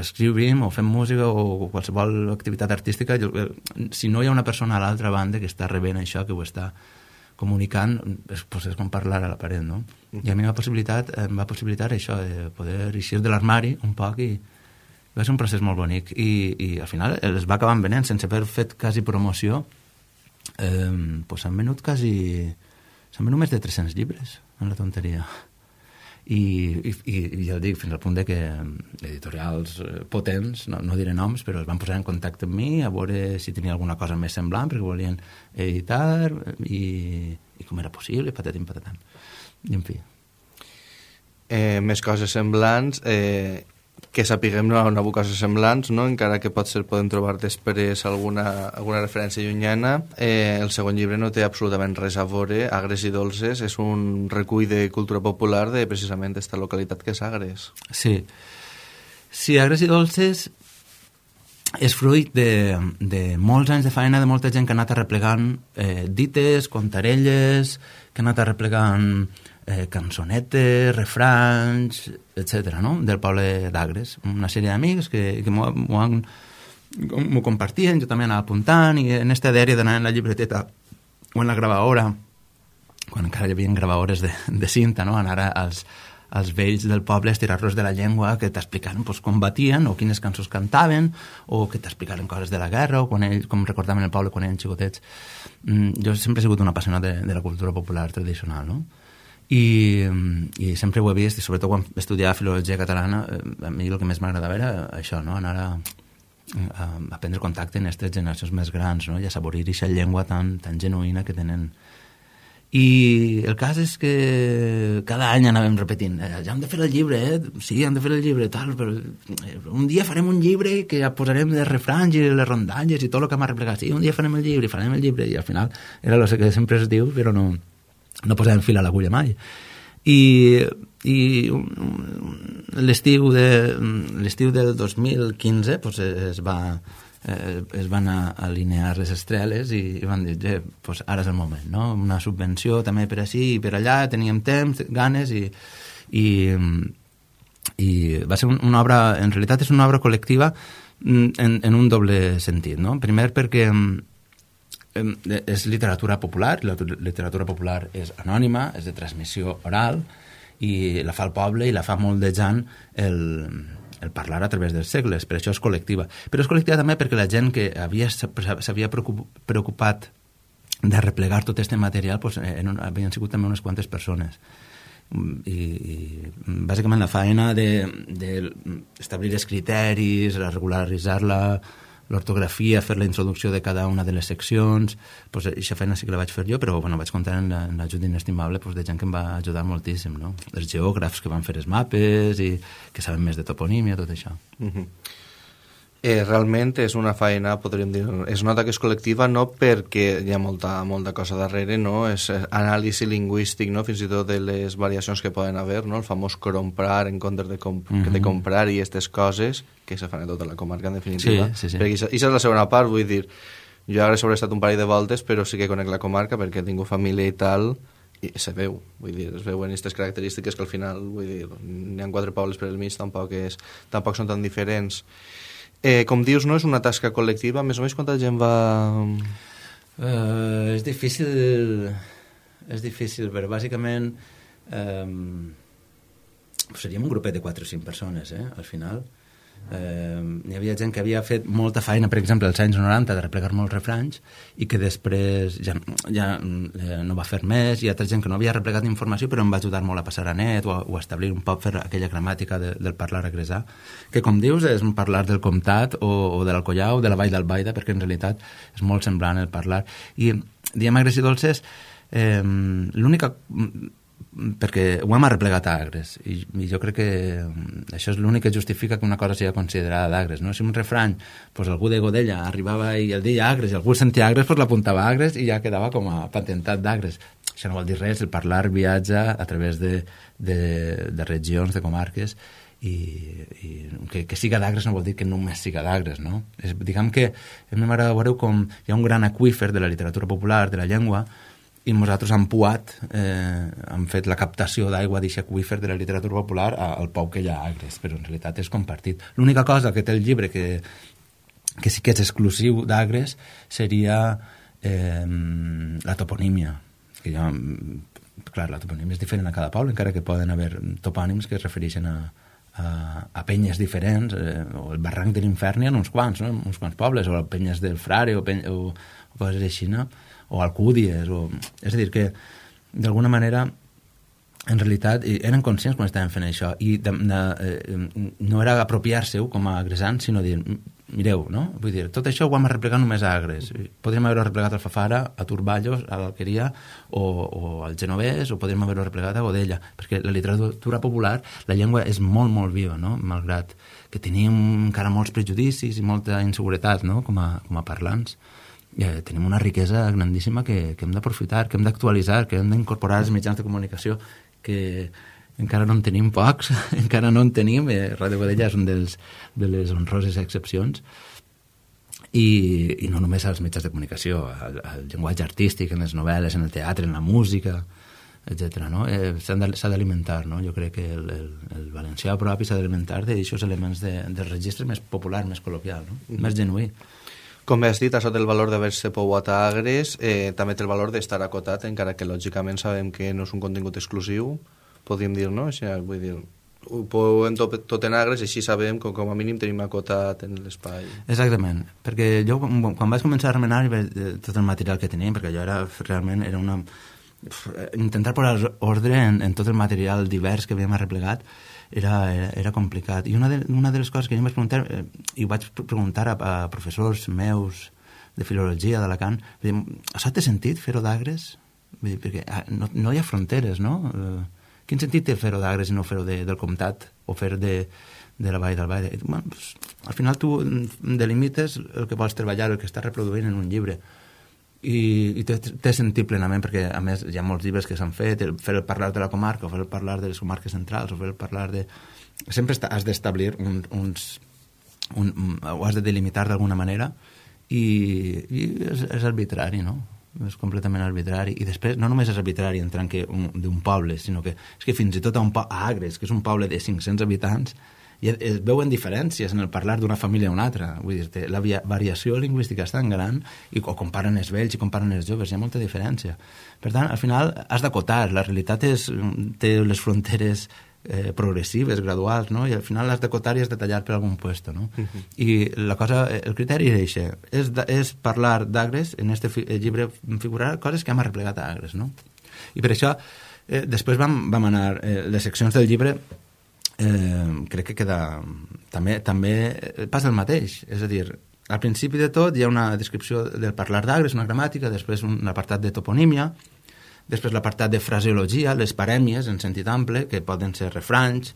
escrivim o fem música o qualsevol activitat artística, si no hi ha una persona a l'altra banda que està rebent això, que ho està comunicant, és, pues és com parlar a la paret, no? I a mi m'ha possibilitat, em va possibilitar això, de poder eixir de l'armari un poc i va ser un procés molt bonic i, i al final es va acabar venent sense haver fet quasi promoció, eh, pues s'han venut quasi s'han venut més de tres-cents llibres en la tonteria i, i, i ja el dic, fins al punt de que editorials potents, no, no diré noms, però es van posar en contacte amb mi a veure si tenia alguna cosa més semblant perquè volien editar i, i com era possible, patatim patatam. I en fi. Eh, més coses semblants, eh, que sapiguem no hi ha coses semblants, no? Encara que potser podem trobar després alguna, alguna referència llunyana. Eh, el segon llibre no té absolutament res a veure. Agres i dolces és un recull de cultura popular de precisament aquesta localitat que és Agres. Sí. Sí, Agres i dolces és fruit de, de molts anys de feina de molta gent que ha anat arreplegant eh, dites, contarelles, que ha anat arreplegant eh, cançonetes, refranys, etcètera, no?, del poble d'Agres. Una sèrie d'amics que, que m'ho, m'ho, han, m'ho compartien, jo també anava apuntant, i en este diari d'anar en la llibreteta o en la gravadora, quan encara hi havia gravadores de, de cinta, no?, anar als, als vells del poble, estirar-los de la llengua, que t'explicaven pues, com batien, o quines cançons cantaven, o que t'explicaven coses de la guerra, o quan ells, com recordaven el poble quan eren xicotets. Mm, jo sempre he sigut un apassionat de, de la cultura popular tradicional, no?, I, i sempre ho he vist, i sobretot quan estudiava filologia catalana, a mi el que més m'agradava era això, no?, anar a, a, a prendre contacte en aquestes generacions més grans, no?, i a saborir aquesta llengua tan, tan genuïna que tenen. I el cas és que cada any anàvem repetint, ja hem de fer el llibre, eh? Sí, hem de fer el llibre, tal, però un dia farem un llibre que ja posarem les refranys i les rondalles i tot el que m'ha replegat. Sí, un dia farem el llibre, farem el llibre, i al final era el que sempre es diu, però no, no posàvem fil a l'agulla mai. I, i l'estiu de, l'estiu del dos mil quinze pues, es va eh, es van alinear les estreles i, i van dir, eh, pues ara és el moment, no? Una subvenció també per així i per allà, teníem temps, ganes i, i, i va ser una obra, en realitat és una obra col·lectiva en, en un doble sentit, no? Primer perquè és literatura popular, la literatura popular és anònima, és de transmissió oral i la fa el poble i la fa moldejant el, el parlar a través dels segles, per això és col·lectiva. Però és col·lectiva també perquè la gent que havia, s'havia preocupat de replegar tot aquest material pues, en, havien sigut també unes quantes persones. I, i bàsicament la feina d'establir de, de els criteris, regularitzar-la, l'ortografia, fer la introducció de cada una de les seccions, pues, aquesta feina sí que la vaig fer jo, però bueno, vaig comptar amb l'ajut inestimable pues, de gent que em va ajudar moltíssim, no? Els geògrafs que van fer els mapes i que saben més de toponímia, tot això. Uh-huh. Eh, realment és una feina, podríem dir, es nota que és col·lectiva no perquè hi ha molta, molta cosa darrere, no? És anàlisi lingüístic, no? Fins i tot de les variacions que poden haver, no? El famós comprar en comptes de, comp uh-huh. de comprar i aquestes coses que se fan a tota la comarca, en definitiva. Sí, sí, sí. Perquè això és la segona part, vull dir, jo ara he sobreestat un parell de voltes, però sí que conec la comarca perquè tinc família i tal, i se veu, vull dir, es veuen aquestes característiques que al final, vull dir, n'hi ha quatre pobles per al mig, tampoc, és, tampoc són tan diferents. Eh, com dius, no és una tasca col·lectiva, més o menys quanta gent va... Uh, és difícil, és difícil, però bàsicament um, seríem un grupet de quatre o cinc persones, eh, al final. Eh, hi havia gent que havia fet molta feina, per exemple, als anys noranta, de replegar molts refranys i que després ja, ja eh, no va fer més. Hi ha altra gent que no havia replegat informació però em va ajudar molt a passar a net o a, o a establir un poc fer aquella gramàtica de, del parlar agresà, que com dius és un parlar del comtat o, o de l'Alcoià o de la Vall d'Albaida, perquè en realitat és molt semblant el parlar. I diem Agres i Dolces, eh, l'única... perquè ho hem arreplegat a Agres i, i jo crec que això és l'únic que justifica que una cosa sigui considerada d'Agres, no? Si un refrany, pues algú de Godella arribava i el deia Agres i algú sentia Agres, pues l'apuntava a Agres i ja quedava com a patentat d'Agres. Això no vol dir res, el parlar viatja a través de, de, de regions, de comarques i, i que, que siga d'Agres no vol dir que només siga d'Agres, no? És, diguem que a mi m'agrada veure com hi ha un gran aqüífer de la literatura popular, de la llengua, i nosaltres hem puat, eh, hem fet la captació d'aigua d'aquest aqüífer de la literatura popular al pou que hi ha a Agres, però en realitat és compartit. L'única cosa que té el llibre que, que sí que és exclusiu d'Agres seria eh, la toponímia. Que ja, clar, la toponímia és diferent a cada poble, encara que poden haver topònims que es refereixen a, a, a penyes diferents, eh, o el barranc de l'Infern hi ha uns quants, no? Uns quants pobles, o penyes del Frare, o, peny o, o coses així, no? O Alcúdies, o... és a dir, que d'alguna manera en realitat eren conscients quan estaven fent això i de, de, eh, no era apropiar-se-ho com a agresants, sinó dir mireu, no? Vull dir, tot això ho hem arreplegat només a Agres. Podríem haver-ho arreplegat al Fafara, a Turballos, a l'Alqueria o, o al Genovès, o podríem haver-ho arreplegat a Godella, perquè la literatura popular, la llengua és molt, molt viva, no? Malgrat que tenim encara molts prejudicis i molta inseguretat, no? Com a, com a parlants. Eh, tenim una riquesa grandíssima que, que hem d'aprofitar, que hem d'actualitzar, que hem d'incorporar als mitjans de comunicació, que encara no en tenim pocs, encara no en tenim, eh, Ràdio Godella és un dels, de les honroses excepcions, i, i no només als mitjans de comunicació, al, al llenguatge artístic, en les novel·les, en el teatre, en la música, etcètera, no? Eh, s'ha d'alimentar, no? Jo crec que el, el, el valencià propi s'ha d'alimentar d'aixòs elements de, del registre més popular, més col·loquial, no? Mm. Més genuí. Com has dit, això té el valor d'haver-se pouat a Agres, eh, també té el valor d'estar acotat, encara que lògicament sabem que no és un contingut exclusiu, podríem dir, no? O sigui, vull dir, ho pouem tot, tot en Agres, així sabem que com a mínim tenim acotat en l'espai. Exactament, perquè jo quan vaig començar a remenar tot el material que teníem, perquè jo era, realment era una... intentar posar ordre en, en tot el material divers que havíem arreplegat, Era, era, era complicat. I una de, una de les coses que jo em vaig preguntar, eh, i vaig preguntar a, a professors meus de filologia d'Alacant, has té sentit fer-ho d'Agres? Perquè no, no hi ha fronteres, no? Eh, quin sentit té fer-ho d'Agres i no fer-ho de, del comtat o fer de, de la Vall d'Albaida? Bueno, pues, al final tu delimites el que vols treballar, el que estàs reproduint en un llibre. i, i té, té sentit plenament, perquè a més hi ha molts llibres que s'han fet, el, fer el parlar de la comarca, o fer el parlar de les comarques centrals, o fer el parlar de... Sempre està, has d'establir un, uns... Un, un, ho has de delimitar d'alguna manera, i, i és, és arbitrari, no? És completament arbitrari. I després no només és arbitrari en tant que d'un poble, sinó que és que fins i tot a, un po a Agres, que és un poble de cinc-cents habitants, i es veuen diferències en el parlar d'una família a una altra. Vull dir, la variació lingüística és tan gran, i o comparen els vells i comparen els joves, hi ha molta diferència. Per tant, al final has d'acotar. La realitat és, té les fronteres eh, progressives, graduals, no? I al final has d'acotar i has de tallar per algun puesto, no? Uh-huh. I la cosa, el criteri és això, és, és parlar d'Agres, en este fi, llibre figurar coses que hem arreplegat a Agres, no? I per això, eh, després vam, vam anar, eh, les seccions del llibre, eh, crec que queda, també, també passa el mateix, és a dir, al principi de tot hi ha una descripció del parlar d'Agres, una gramàtica, després un apartat de toponímia, després l'apartat de fraseologia, les parèmies en sentit ample, que poden ser refranys,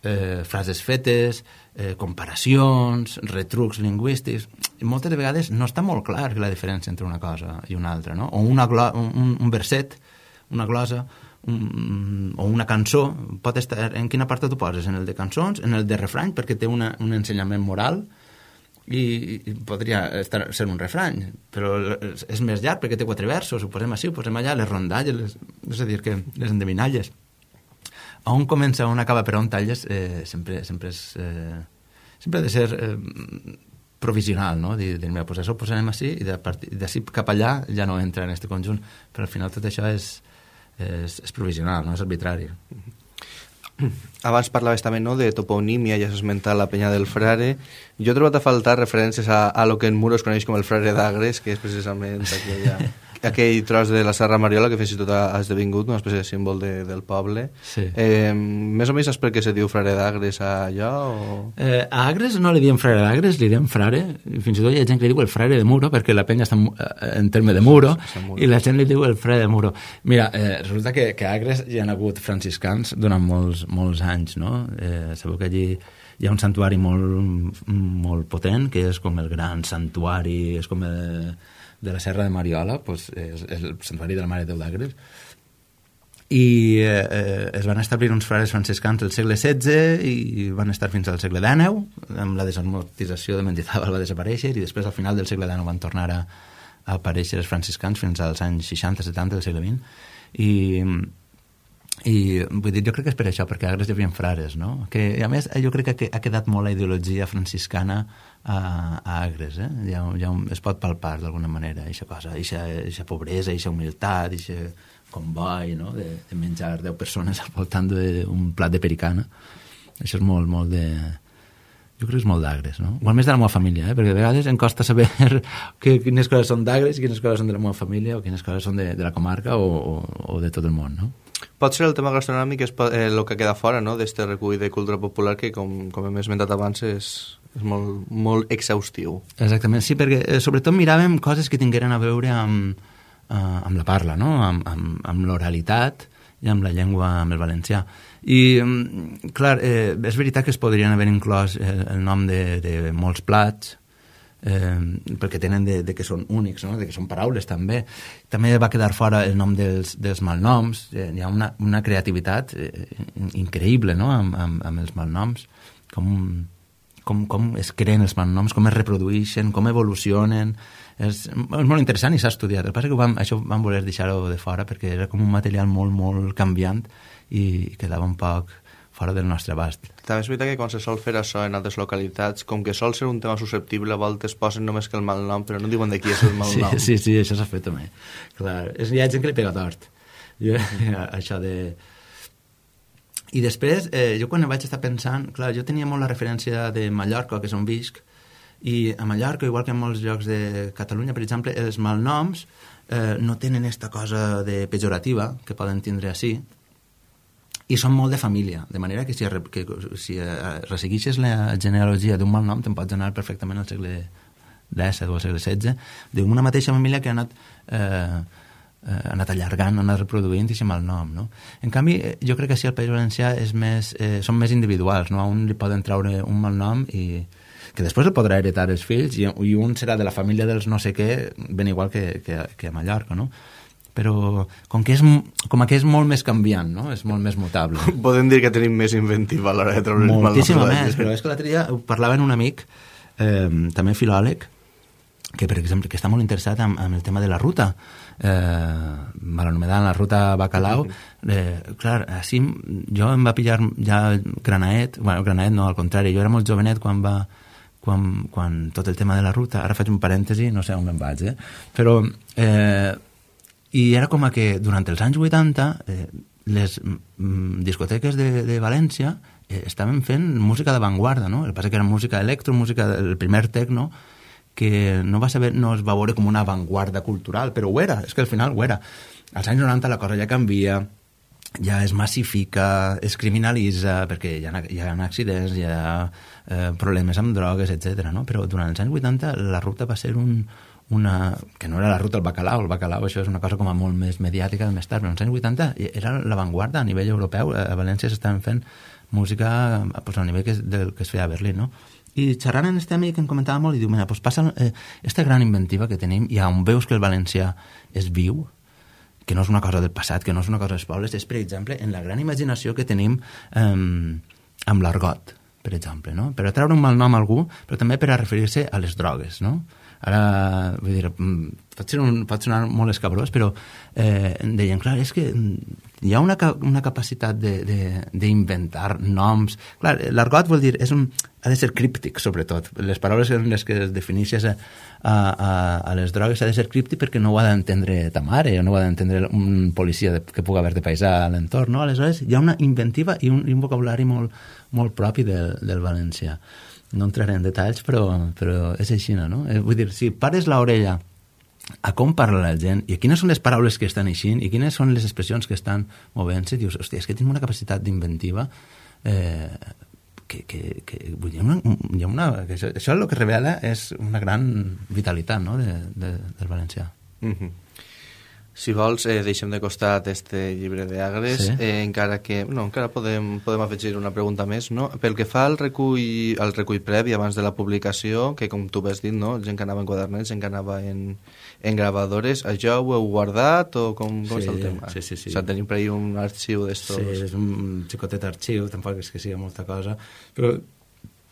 eh, frases fetes, eh, comparacions, retrucs lingüístics. I moltes vegades no està molt clar la diferència entre una cosa i una altra, no? O una un, un verset, una glosa, un, o una cançó, pot estar... En quina part t'ho poses? En el de cançons, en el de refrany, perquè té una, un ensenyament moral, i, i podria estar, ser un refrany, però és més llarg perquè té quatre versos, ho posem així, ho posem allà, les rondalles, les, és a dir, que les endevinalles. A on comença, on acaba, per on talles, eh, sempre, sempre, és, eh, sempre ha de ser eh, provisional, no? Dir, dir mira, pues això ho posarem així, i d'ací cap allà ja no entra en aquest conjunt, però al final tot això és, és, és provisional, no és arbitrari. Abans parlaves també, no, de toponímia, ja s'ha esmentat la Penya del Frare. Jo he trobat a faltar referències a, a lo que en Muro es coneix com el Frare d'Agres, que és precisament aquella, aquell tros de la Serra Mariola que fins i tot ha esdevingut una espècie de símbol de, del poble. Sí. Eh, més o menys saps per què se diu Frare d'Agres a allò? O... Eh, a Agres no li diem Frare d'Agres, li diem Frare. Fins i tot hi ha gent que li diu el Frare de Muro, perquè la penya està en, en terme de Muro, i la gent li diu el Frare de Muro. Mira, eh, resulta que, que a Agres hi ha hagut franciscans durant molts, molts anys, no? Eh, sabeu que allí hi ha un santuari molt, molt potent, que és com el gran santuari, és com el, de la Serra de Mariola, pues, és, és el santuari de la Mare de Déu d'Agres, i eh, es van establir uns frares franciscans al segle setze i van estar fins al segle dinou, amb la desamortització de Mendizábal va desaparèixer, i després al final del segle dinou van tornar a, a aparèixer els franciscans fins als anys seixanta setanta del segle vint, i i vull dir, jo crec que és per això, perquè a Agres hi havia frares, no? Que, a més, jo crec que ha quedat molt la ideologia franciscana a, a Agres, eh? Ja, ja es pot palpar d'alguna manera, aquesta cosa, aquesta pobresa, aquesta humilitat, aquest comboi, no? De, de menjar deu persones al voltant d'un plat de pericana. Això és molt, molt de... Jo crec que és molt d'Agres, no? O almenys de la meva família, eh? Perquè a vegades em costa saber que, quines coses són d'Agres i quines coses són de la meva família o quines coses són de, de la comarca o, o, o de tot el món, no? Pot ser el tema gastronòmic és eh, el que queda fora, no?, d'este recull de cultura popular que, com, com hem esmentat abans, és, és molt, molt exhaustiu. Exactament, sí, perquè eh, sobretot miràvem coses que tingueren a veure amb, eh, amb la parla, no?, amb, amb, amb l'oralitat i amb la llengua, amb el valencià. I, clar, eh, és veritat que es podrien haver inclòs el, el nom de, de molts plats, eh, perquè tenen de, de que són únics, no? De que són paraules també. També va quedar fora el nom dels, dels malnoms. Eh, hi ha una, una creativitat eh, increïble, no?, amb, amb, amb els malnoms, com, com, com es creen els malnoms, com es reprodueixen, com evolucionen. És, és molt interessant i s'ha estudiat. El que passa és que vam, això vam voler deixar-ho de fora perquè era com un material molt, molt canviant i quedava un poc fora del nostre abast. També és veritat que quan se sol fer això en altres localitats, com que sol ser un tema susceptible, a voltes posen només que el malnom, però no diuen de qui és el malnom. Sí, sí, sí, això s'ha fet també. Clar, és, hi ha gent que li pega tort. Jo, això de... I després, eh, jo quan vaig estar pensant, clar, jo tenia molt la referència de Mallorca, que és on visc, i a Mallorca, igual que en molts llocs de Catalunya, per exemple, els malnoms eh, no tenen aquesta cosa de pejorativa que poden tindre així, i són molt de família, de manera que si, que, si resseguixes la genealogia d'un malnom te'n pots anar perfectament al segle disset o al segle setze d'una mateixa família que ha anat, eh, ha anat allargant, ha anat reproduint aquest malnom, no? En canvi, jo crec que si el País Valencià és més, eh, són més individuals, no? A un li poden traure un malnom i, que després el podrà heretar els fills i, i un serà de la família dels no sé què, ben igual que, que, que a Mallorca, no? Però com que és, com que és molt més canviant, no? És molt més mutable. Podem dir que tenim més inventiva a l'hora de treure moltíssima més, però és que l'altre dia parlava amb un amic, eh, també filòleg, que, per exemple, que està molt interessat en, en el tema de la ruta, eh, mal anomenada la ruta Bacalao. Eh, clar, així jo em va pillar ja granaet, bueno, granaet no, al contrari, jo era molt jovenet quan va quan, quan tot el tema de la ruta, ara faig un parèntesi, no sé on me'n vaig, eh? Però eh, i era com que durant els anys vuitanta eh, les mm, discoteques de, de València eh, estaven fent música d'avantguarda, no? El que passa que era música electro, música, el primer tecno, que no va saber, no es va veure com una avantguarda cultural, però ho era, és que al final ho era. Als anys noranta la cosa ja canvia, ja es massifica, es criminalitza, perquè hi ha, hi ha accidents, hi ha eh, problemes amb drogues, etcètera, no? Però durant els anys vuitanta la ruta va ser un, una... que no era la ruta del Bacalao, el Bacalao això és una cosa com a molt més mediàtica de més tard, però als anys vuitanta era l'avantguarda a nivell europeu, a València s'estaven fent música pues, a nivell que, del que es feia a Berlín, no? I xerrant amb este amic em comentava molt i diu, mira, pues passa eh, esta gran inventiva que tenim i on veus que el valencià és viu, que no és una cosa del passat, que no és una cosa dels pobles, és, per exemple, en la gran imaginació que tenim eh, amb l'argot, per exemple, no? Per a treure un mal nom a algú, però també per a referir-se a les drogues, no? Ara, vull dir, pot, ser un, pot sonar molt escabrós, però eh, deien, clar, és que hi ha una, una capacitat d'inventar noms. Clar, l'argot vol dir, és un, ha de ser críptic, sobretot. Les paraules en les que es defineixes a, a, a les drogues ha de ser críptic perquè no ho ha d'entendre ta mare, o no ho ha d'entendre un policia de, que pugui haver de paisà a l'entorn, no? Aleshores, hi ha una inventiva i un, i un vocabulari molt, molt propi del, del valencià. No entraré en detalls, però, però és així, no? Eh, vull dir, si pares l'orella a com parla la gent i quines són les paraules que estan eixint i quines són les expressions que estan movent-se, dius, hòstia, és que tinc una capacitat d'inventiva eh, que, que, que vull dir, una, hi ha una, que això, això el que revela és una gran vitalitat, no?, de, de, del valencià. Mm-hmm. Si vols, eh, deixem de costat este llibre d'Agres, sí. eh, encara que... No, encara podem, podem afegir una pregunta més, no? Pel que fa al recull, al recull previ abans de la publicació, que com tu has dit, no? Gent que anava en quadernets, gent que anava en, en gravadores, això ho heu guardat o com, com sí, és el tema? Sí, sí, sí. O sigui, tenim per ahí un arxiu d'estos... Sí, és un xicotet arxiu, tampoc és que sigui molta cosa, però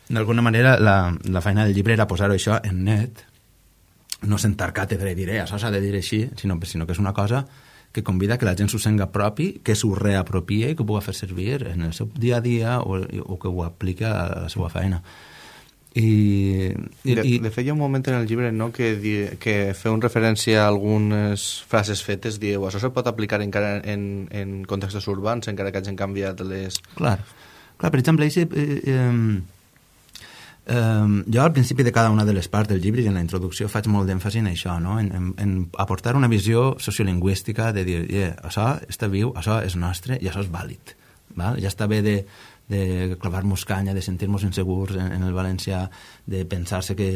d'alguna manera la, la feina del llibre era posar-ho això en net, no sentar càtedra i dir, eh, això s'ha de dir així, sinó, sinó que és una cosa que convida que la gent s'ho senga propi, que s'ho reapropie i que ho pugui fer servir en el seu dia a dia o, o que ho apliqui a la seva feina. I, i, de, i... de fet, hi ha un moment en el llibre, no?, que, di, que feu un referència a algunes frases fetes, dieu, això se pot aplicar encara en, en contextos urbans, encara que hagin canviat les... Clar, clar, per exemple, eh, eh, Um, jo al principi de cada una de les parts del llibre i en la introducció faig molt d'èmfasi en això, no? en, en, en aportar una visió sociolingüística de dir, yeah, això està viu, això és nostre i això és vàlid, val? Ja està bé de, de clavar-nos canya, de sentir-nos insegurs en, en el valencià, de pensar-se que,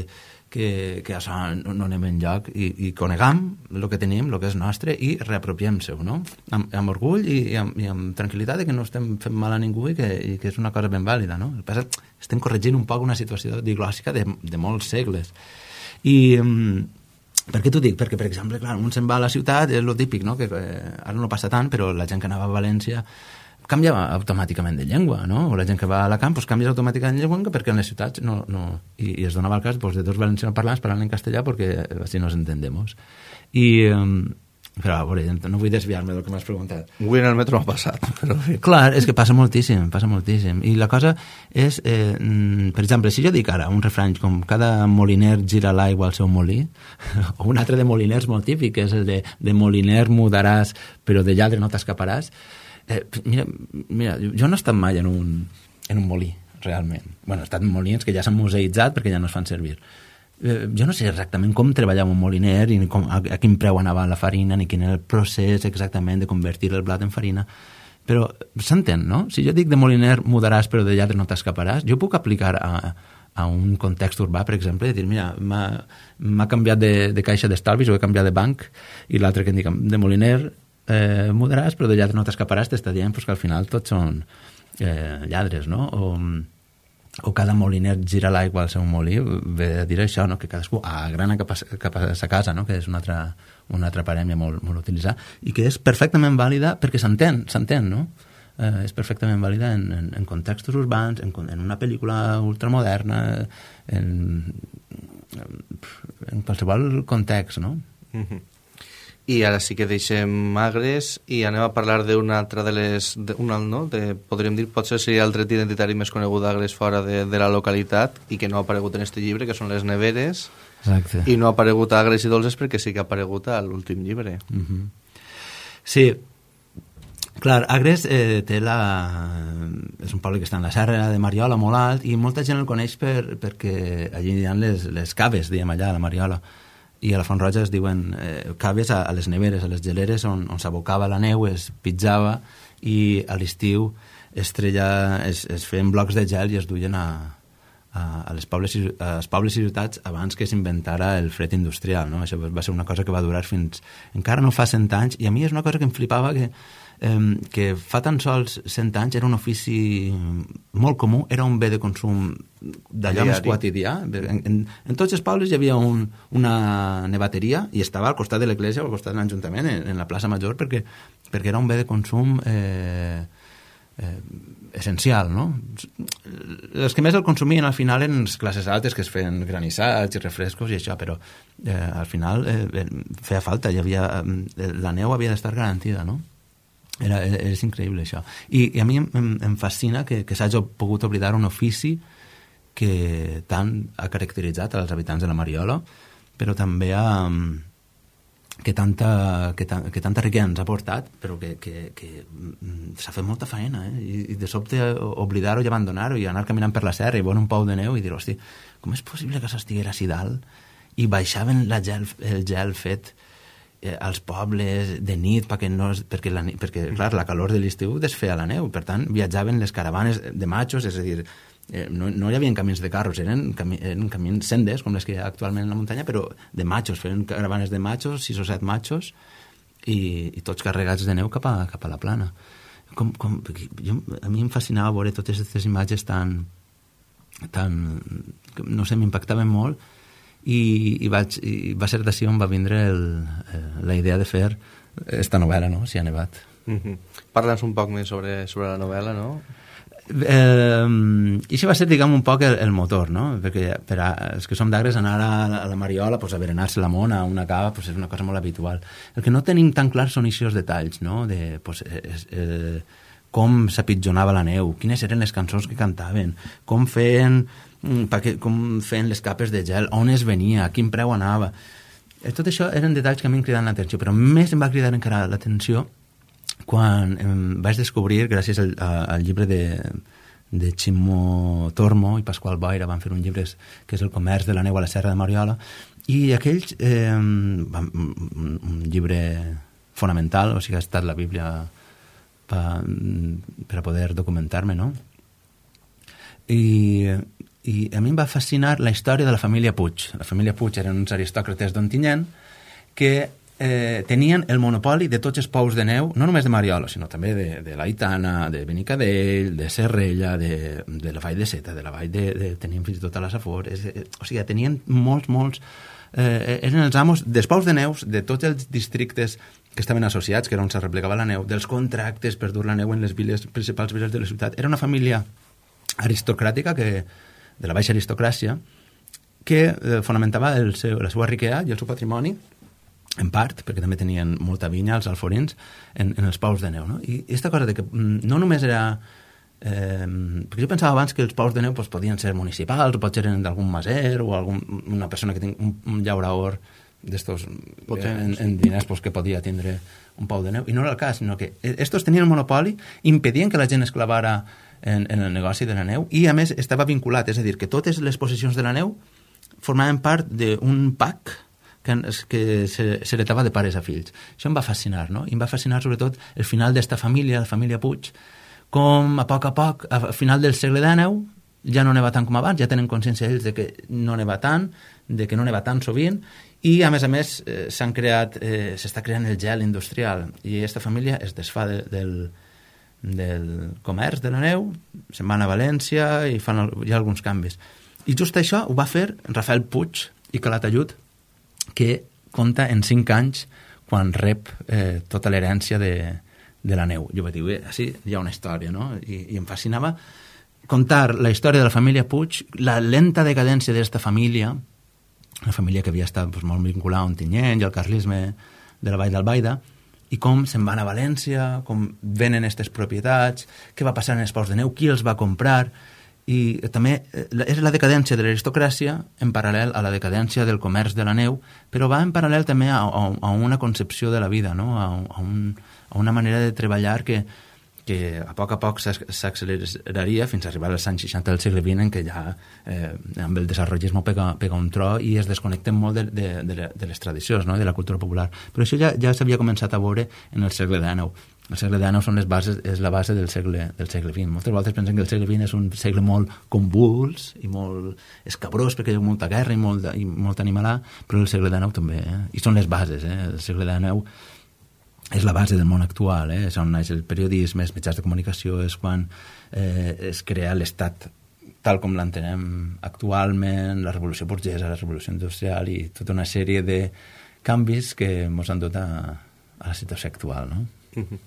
que, que això no, no anem enlloc i, i conegam el que tenim, el que és nostre i reapropiem-se-ho, no? Amb, amb orgull i, i, amb, i amb tranquil·litat de que no estem fent mal a ningú i que, i que és una cosa ben vàlida, no? El que passa, estem corregint un poc una situació diglòssica de, de molts segles. I um, per què t'ho dic? Perquè, per exemple, clar, un se'n va a la ciutat, és el típic, no? Que eh, ara no passa tant, però la gent que anava a València canviava automàticament de llengua, no? O la gent que va a la camp, doncs canvies automàticament de llengua perquè en les ciutats no... no i, i es donava el cas pues, de dos valencianos parlants parlant en castellà perquè així nos entendemos. I... Um, però, a veure, no vull desviar-me del que m'has preguntat. Avui en el metro m'ha passat. Però... Clar, és que passa moltíssim, passa moltíssim. I la cosa és, eh, per exemple, si jo dic ara un refrany com cada moliner gira l'aigua al seu molí, o un altre de moliners molt típic, que és el de, de moliner mudaràs, però de lladre no t'escaparàs, eh, mira, mira, jo no he estat mai en un, en un molí, realment. Bueno, he estat en molins que ja s'han museïtzat perquè ja no es fan servir. Eh, jo no sé exactament com treballava un moliner i com, a, a quin preu anava la farina ni quin era el procés exactament de convertir el blat en farina, però s'entén, no? Si jo dic de moliner mudaràs però de lladre no t'escaparàs, jo puc aplicar a, a un context urbà, per exemple, de dir, mira, m'ha canviat de, de caixa d'estalvis o he canviat de banc, i l'altre que em dic, de moliner eh, mudaràs però de lladre no t'escaparàs, t'està dient pues, que al final tots són eh, lladres, no? O... o cada moliner gira l'aigua al seu molí, ve a dir això, no? Que cadascú agrana cap a, cap a sa casa, no? Que és una altra, una altra parèmia molt, molt utilitzada, i que és perfectament vàlida perquè s'entén, s'entén, no? Eh, és perfectament vàlida en, en, en contextos urbans, en, en una pel·lícula ultramoderna, en, en qualsevol context, no? Mm-hmm. I ara sí que deixem Agres i anem a parlar d'una altra de les... De, una, no? de, podríem dir, potser seria el tret identitari més conegut d'Agres fora de, de la localitat i que no ha aparegut en este llibre, que són les neveres. Exacte. I no ha aparegut a Agres i Dolces perquè sí que ha aparegut a l'últim llibre. Uh-huh. Sí, clar, Agres eh, té la... és un poble que està en la serra de Mariola, molt alt, i molta gent el coneix per, perquè allí hi ha les, les caves, diem allà, a la Mariola. I a la Font Roja es diuen eh, caves a, a les neveres, a les geleres on, on s'abocava la neu, es pitjava i a l'estiu es, treia, es, es feien blocs de gel i es duien a, a, a les pobles, a les pobles i ciutats abans que s'inventara el fred industrial, no? Això va ser una cosa que va durar fins... encara no fa cent anys, i a mi és una cosa que em flipava que Eh, que fa tan sols cent anys era un ofici molt comú, era un bé de consum d'allò més quotidià. En, en, en tots els pobles hi havia un, una nevateria i estava al costat de l'església o al costat de l'Ajuntament, en, en la plaça Major, perquè, perquè era un bé de consum eh, eh, essencial, no? Els que més el consumien al final eren les classes altes que es feien granissats i refrescos i això, però eh, al final eh, feia falta, hi havia, eh, la neu havia d'estar garantida, no? Era, és increïble això, i, i a mi em, em fascina que, que s'hagi pogut oblidar un ofici que tant ha caracteritzat als habitants de la Mariola, però també ha, que, tanta, que, ta, que tanta riquesa ens ha portat, però que, que, que s'ha fet molta feina, eh? I, i de sobte oblidar-ho i abandonar-ho i anar caminant per la serra i veure un pou de neu i dir, hosti, com és possible que s'estiguera així dalt i baixaven la gel, el gel fet Eh, als pobles de nit perquè, no, perquè, la, perquè clar, la calor de l'estiu desfeia la neu, per tant viatjaven les caravanes de machos, és a dir, eh, no, no hi havia camins de carros, eren, cami, eren camins sendes com les que hi ha actualment en la muntanya, però de machos, feien caravanes de machos, sis o set machos i, i tots carregats de neu cap a, cap a la plana. Com, com, jo, a mi em fascinava veure totes aquestes imatges tan, tan no sé, m'impactaven molt. I, i, vaig, i va ser d'ací on va vindre el, eh, la idea de fer esta novel·la, no? Si ha nevat. Mm-hmm. Parla'ns un poc més sobre, sobre la novel·la, no? Eh, I això va ser, diguem, un poc el, el motor, no? Perquè per a, els que som d'Agres, anar a, a la Mariola, pues, a berenar-se la mona, a una cava, pues, és una cosa molt habitual. El que no tenim tan clar són aquests detalls, no? De, pues, eh, eh, com s'apitjonava la neu, quines eren les cançons que cantaven, com feien... perquè, com feien les capes de gel, on es venia, a quin preu anava. Tot això eren detalls que a mi em cridaven l'atenció, però més em va cridar encara l'atenció quan em vaig descobrir, gràcies al, al llibre de, de Ximo Tormo i Pasqual Boira, van fer un llibre que és El comerç de la neu a la serra de Mariola, i aquells, eh, van, un llibre fonamental, o sigui, ha estat la Bíblia per, per a poder documentar-me, no? I... i a mi em va fascinar la història de la família Puig. La família Puig eren uns aristòcrates d'Ontinyent que eh, tenien el monopoli de tots els pous de neu, no només de Mariola, sinó també de, de l'Aitana, de Benicadell, de Serrella, de, de la Vall de Seta, de la Vall de... de tenien fins i tot a la Safor. És, eh, o sigui, tenien molts, molts... Eh, eren els amos dels pous de neus de tots els districtes que estaven associats, que era on se replegava la neu, dels contractes per dur la neu en les viles, principals viles de la ciutat. Era una família aristocràtica que de la baixa aristocràcia, que eh, fonamentava el seu, la seva riquesa i el seu patrimoni, en part, perquè també tenien molta vinya, els alforins, en, en els pous de neu. No? I aquesta cosa de que no només era... Eh, perquè jo pensava abans que els pous de neu pues, podien ser municipals, o potser eren d'algun maser, o algun, una persona que tingui un, un llauraor d'estos en, en diners pues, que podia tindre un pou de neu. I no era el cas, sinó que estos tenien el monopoli, impedien que la gent es clavara En, en el negoci de la neu, i a més estava vinculat, és a dir, que totes les possessions de la neu formaven part d'un pack que, que s'heretava de pares a fills. Això em va fascinar, no? I em va fascinar sobretot el final d'esta família, la família Puig, com a poc a poc, a final del segle dènou, ja no neva tant com abans, ja tenen consciència ells de que no neva tant, de que no neva tant sovint, i a més a més eh, s'han creat, eh, s'està creant el gel industrial, i aquesta família es desfà de, del del comerç de la neu, se'n van a València i fan el, hi ha alguns canvis. I just això ho va fer Rafael Puig i Calatayud, que compta en cinc anys quan rep eh, tota l'herència de, de la neu. Jo vaig dir, així hi ha una història, no? I, i em fascinava contar la història de la família Puig, la lenta decadència d'esta família, una família que havia estat pues, molt vinculada a Ontinyent i al carlisme de la Vall d'Albaida, i com se'n van a València, com venen aquestes propietats, què va passar en els ports de neu, qui els va comprar, i també és la decadència de l'aristocràcia en paral·lel a la decadència del comerç de la neu, però va en paral·lel també a, a, a una concepció de la vida, no? a, a, un, a una manera de treballar que, que a poc a poc s'acceleraria fins a arribar als anys seixanta del segle vint, en què ja eh, amb el desenvolupisme pega, pega un tro i es desconnecten molt de, de, de, de les tradicions, no? De la cultura popular. Però això ja, ja s'havia començat a veure en el segle dinou. El segle dinou són les bases, és la base del segle, del segle vint. Moltes voltes pensen que el segle vint és un segle molt convuls i molt escabrós perquè hi ha molta guerra i molt, i molt animalà, però el segle dinou també, eh? I són les bases, eh? El segle dinou és la base del món actual, eh? És on naix el periodisme, els mitjans de comunicació, és quan eh, es crea l'Estat tal com l'entenem actualment, la revolució burgesa, la revolució industrial i tota una sèrie de canvis que ens han dut a, a la situació actual, no? Uh-huh.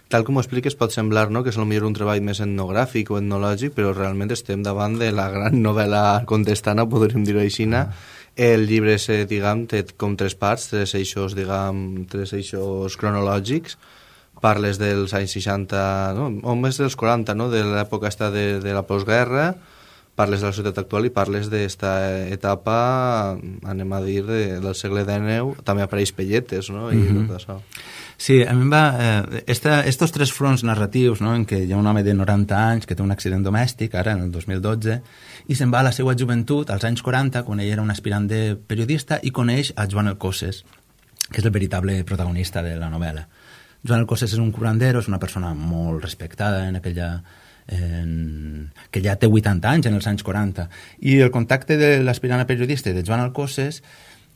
Tal com ho expliques pot semblar, no?, que és potser un treball més etnogràfic o etnològic, però realment estem davant de la gran novel·la contestana, podríem dir-ho així. Uh-huh. El llibre, eh, diguem, té com tres parts, tres eixos, diguem, tres eixos cronològics. Parles dels anys seixanta, no?, o més dels quaranta, no?, de l'època esta de, de la postguerra, parles de la societat actual i parles d'esta etapa, anem a dir, de, del segle dinou, també apareix Pelletes, no?, i mm-hmm. tot això. Sí, a mi em va... Eh, esta, estos tres fronts narratius, no?, en què hi ha un home de noranta anys que té un accident domèstic, ara en el dos mil dotze, i se'n va a la seva joventut, als anys quaranta, quan ell era un aspirant de periodista, i coneix a Joan Alcosses, que és el veritable protagonista de la novel·la. Joan Alcosses és un curandero, és una persona molt respectada en aquella... En, que ja té vuitanta anys en els anys quaranta, i el contacte de l'aspirant a periodista de Joan Alcosses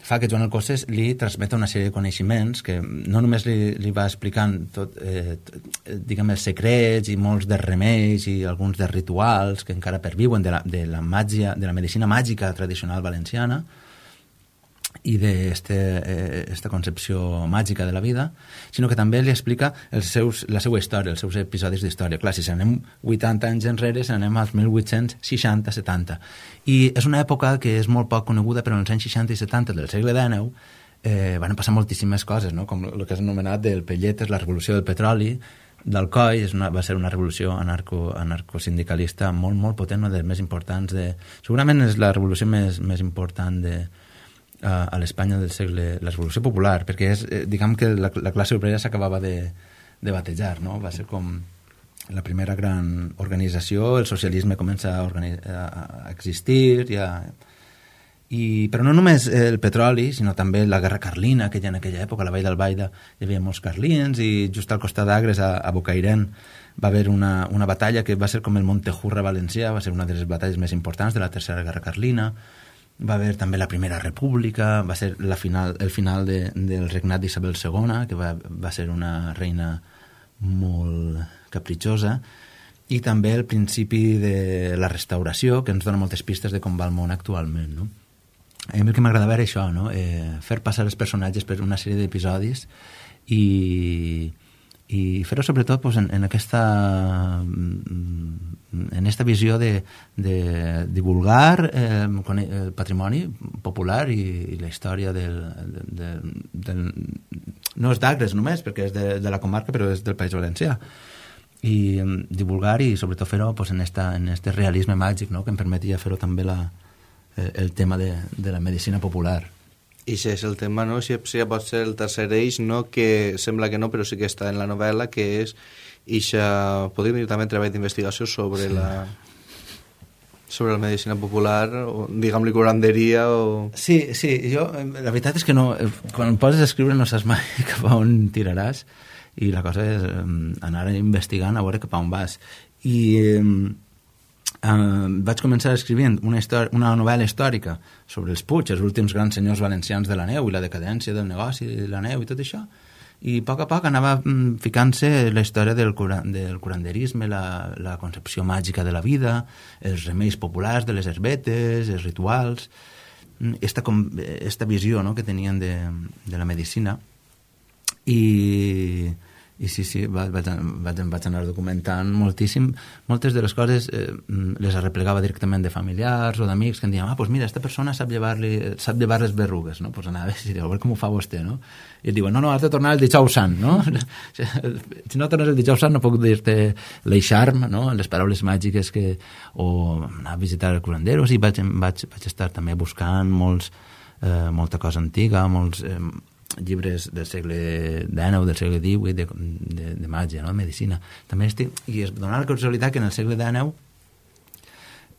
fa que Joan Alcosses li transmeta una sèrie de coneixements que no només li, li va explicant tot, eh, diguem, els secrets i molts de remeis i alguns de rituals que encara perviuen de la, de la màgia, de la medicina màgica tradicional valenciana i d'esta eh, concepció màgica de la vida, sinó que també li explica els seus, la seva història, els seus episodis d'història. Clar, si anem vuitanta anys enrere, si anem als mil vuit-cents seixanta setanta. I és una època que és molt poc coneguda, però en els anys seixanta i setanta del segle dinou eh, van passar moltíssimes coses, no? Com el que és anomenat del Pelletes, la revolució del petroli, d'Alcoi, és una, va ser una revolució anarco, anarcosindicalista molt, molt potent, una de les més importants de... Segurament és la revolució més, més important de... a l'Espanya del segle, la revolució popular, perquè és, eh, diguem que la, la classe obrera s'acabava de, de batejar, no? Va ser com la primera gran organització, el socialisme comença a, organi- a, a existir, ja, i, però no només el petroli, sinó també la guerra carlina, que ja en aquella època, a la Vall d'Albaida, hi havia molts carlins, i just al costat d'Agres, a, a Bocairent, va haver una, una batalla que va ser com el Montejurra valencià, va ser una de les batalles més importants de la Tercera Guerra Carlina. Va haver també la Primera República, va ser la final, el final de, del regnat d'Isabel segona, que va, va ser una reina molt capritxosa, i també el principi de la restauració, que ens dona moltes pistes de com va el món actualment, no? A mi el que m'agradava era això, no? Eh, fer passar els personatges per una sèrie d'episodis i... i fer-ho sobretot pues, en, en aquesta en esta visió de, de divulgar eh, el patrimoni popular i, i la història del, del, del no és d'Agres només, perquè és de, de la comarca, però és del País Valencià, i um, divulgar i sobretot fer-ho pues, en, esta, en este realisme màgic, no?, que em permetia fer-ho també la, eh, el tema de, de la medicina popular. I això és el tema, no? Si, si pot ser el tercer eix, no? Que sembla que no, però sí que està en la novel·la, que és ixa, podríem dir també treball d'investigació sobre sí. la sobre la medicina popular, o diguem-li curanderia o... Sí, sí, jo, la veritat és que no, quan em poses a escriure no saps mai cap a on tiraràs, i la cosa és anar investigant a veure cap a on vas. I Uh, vaig començar escrivint una, història, una novel·la històrica sobre els Puig, els últims grans senyors valencians de la neu i la decadència del negoci de la neu i tot això, i a poc a poc anava ficant-se la història del, cura, del curanderisme, la, la concepció màgica de la vida, els remeis populars de les herbetes, els rituals, esta, esta visió, no?, que tenien de, de la medicina. I, i sí, sí, vaig, vaig, vaig anar documentant moltíssim. Moltes de les coses eh, les arreplegava directament de familiars o d'amics que em diuen, ah, doncs mira, aquesta persona sap llevar-li, sap llevar les berrugues, no? Doncs anava i diu, a veure com ho fa vostè, no? I et diuen, no, no, has de tornar el dijous sant, no? Si no tornes el dijous sant no puc dir-te l'eixarm, no?, les paraules màgiques que... o anar a visitar el curandero, i vaig, vaig, vaig estar també buscant molts, eh, molta cosa antiga, molts... Eh, llibres del segle dènou, del segle divuit, de, de, de màgia, no?, de medicina. També estic... I es dona la casualitat que en el segle dènou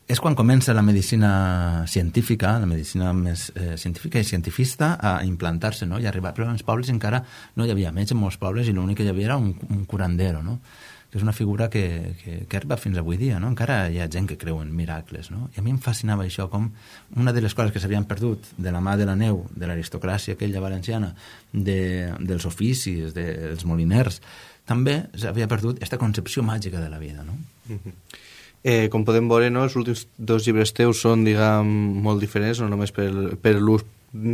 és quan comença la medicina científica, la medicina més eh, científica i cientifista a implantar-se, no?, i arribar. Però en els pobles encara no hi havia metge en molts pobles i l'únic que hi havia era un, un curandero, no?, que és una figura que, que, que arriba fins avui dia, no? Encara hi ha gent que creu en miracles, no? I a mi em fascinava això, com una de les coses que s'havien perdut de la mà de la neu, de l'aristocràcia aquella valenciana, de, dels oficis, dels moliners, també s'havia perdut aquesta concepció màgica de la vida, no? Mm-hmm. Eh, com podem veure, no, els últims dos llibres teus són, diguem, molt diferents, no només per, per l'ús,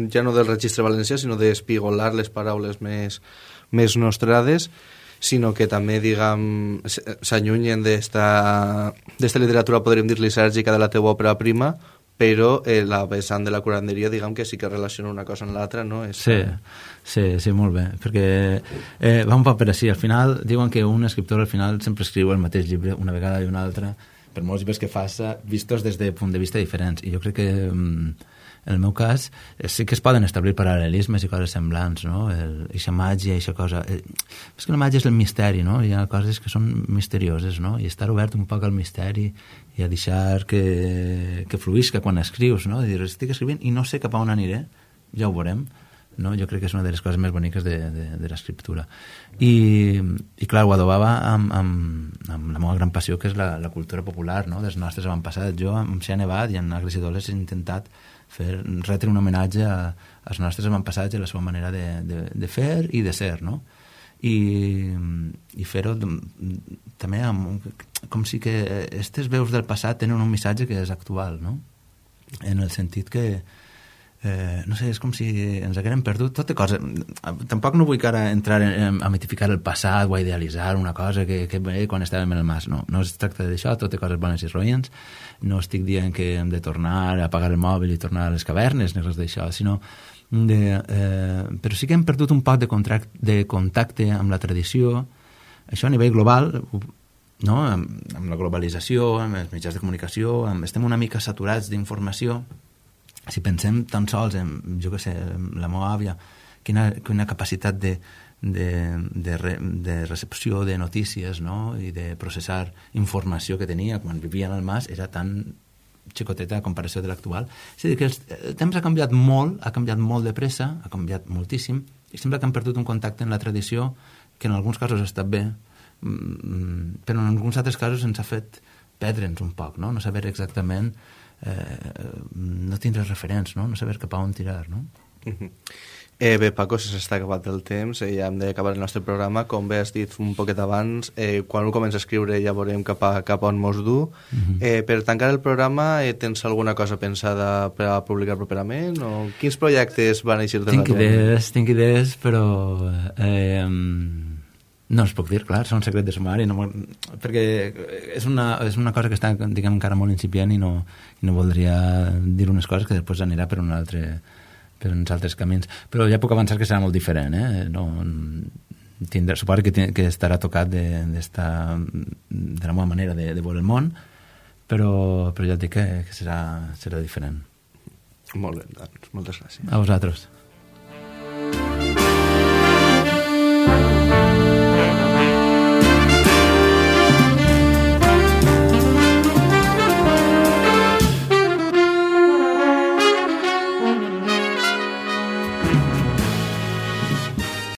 ja no del registre valencià, sinó d'espigolar les paraules més, més nostrades, sinó que també, diguem, s'allunyen d'esta literatura, podríem dir, lisèrgica de la teva òpera prima, però eh, la vessant de la curanderia, diguem que sí que relaciona una cosa amb l'altra, no? És... Sí, sí, sí, molt bé, perquè eh, va un poc per així. Al final, diuen que un escriptor al final sempre escriu el mateix llibre una vegada i una altra, per molts llibres que faça, vistos des de punt de vista diferents. I jo crec que... Mm, en el meu cas, sí que es poden establir paral·lelismes i coses semblants, no? Eixa màgia, eixa cosa... És que la màgia és el misteri, no? Hi ha coses que són misterioses, no? I estar obert un poc al misteri i a deixar que, que fluïsca quan escrius, no? Dir, estic escrivint i no sé cap a on aniré, ja ho veurem, no? Jo crec que és una de les coses més boniques de, de, de l'escriptura. I, i clar, ho adobava amb, amb, amb la meva gran passió, que és la, la cultura popular, no?, dels nostres avantpassats. Jo, amb Xia Nevat i en Agres i Doles, he intentat fer, retre un homenatge a, als nostres avantpassats i a la seva manera de, de, de fer i de ser, no? I, i fer-ho també amb, com si que aquestes veus del passat tenen un missatge que és actual, no? En el sentit que Eh, no sé, és com si ens haguérem perdut tota cosa. Tampoc no vull que ara entrar en, a mitificar el passat o a idealitzar una cosa que, que bé quan estàvem en el mas, no, no es tracta d'això, tot coses bones i roïns. No estic dient que hem de tornar a apagar el mòbil i tornar a les cavernes ni res d'això, sinó de, eh, però sí que hem perdut un poc de, contract, de contacte amb la tradició, això a nivell global, no? amb, amb la globalització, amb els mitjans de comunicació, amb, estem una mica saturats d'informació. Si pensem tan sols en, jo què sé, la meva àvia, quina, quina capacitat de, de, de, re, de recepció de notícies, no?, i de processar informació que tenia quan vivia en el mas, era tan xicoteta a comparació de l'actual. És a dir, que el, el temps ha canviat molt, ha canviat molt de pressa, ha canviat moltíssim, i sembla que han perdut un contacte en la tradició que en alguns casos ha estat bé, però en alguns altres casos ens ha fet perdre'ns un poc, no?, no saber exactament... Eh, no tindre referents, no? No saber cap a on tirar, no? Uh-huh. Eh, bé, Paco, se s'està acabat el temps, eh, ja hem d'acabar el nostre programa. Com bé has dit un poquet abans, eh, quan ho comença a escriure ja veurem cap a, cap a on mos du. Uh-huh. eh, per tancar el programa, eh, tens alguna cosa pensada per a publicar properament? O quins projectes van eixir de la Tinc idees, tinc idees, però... Eh, no es puc dir, clar, són un secret de sumari, no, perquè és una, és una cosa que està, diguem, encara molt incipient i no, i no voldria dir unes coses que després anirà per un altre, per uns altres camins. Però ja puc avançar que serà molt diferent, eh? No, tindrà, suposo que, que estarà tocat de, de, esta, de la meva manera de, de veure el món, però, però ja et dic que, que serà, serà diferent. Molt bé, doncs, moltes gràcies. A vosaltres.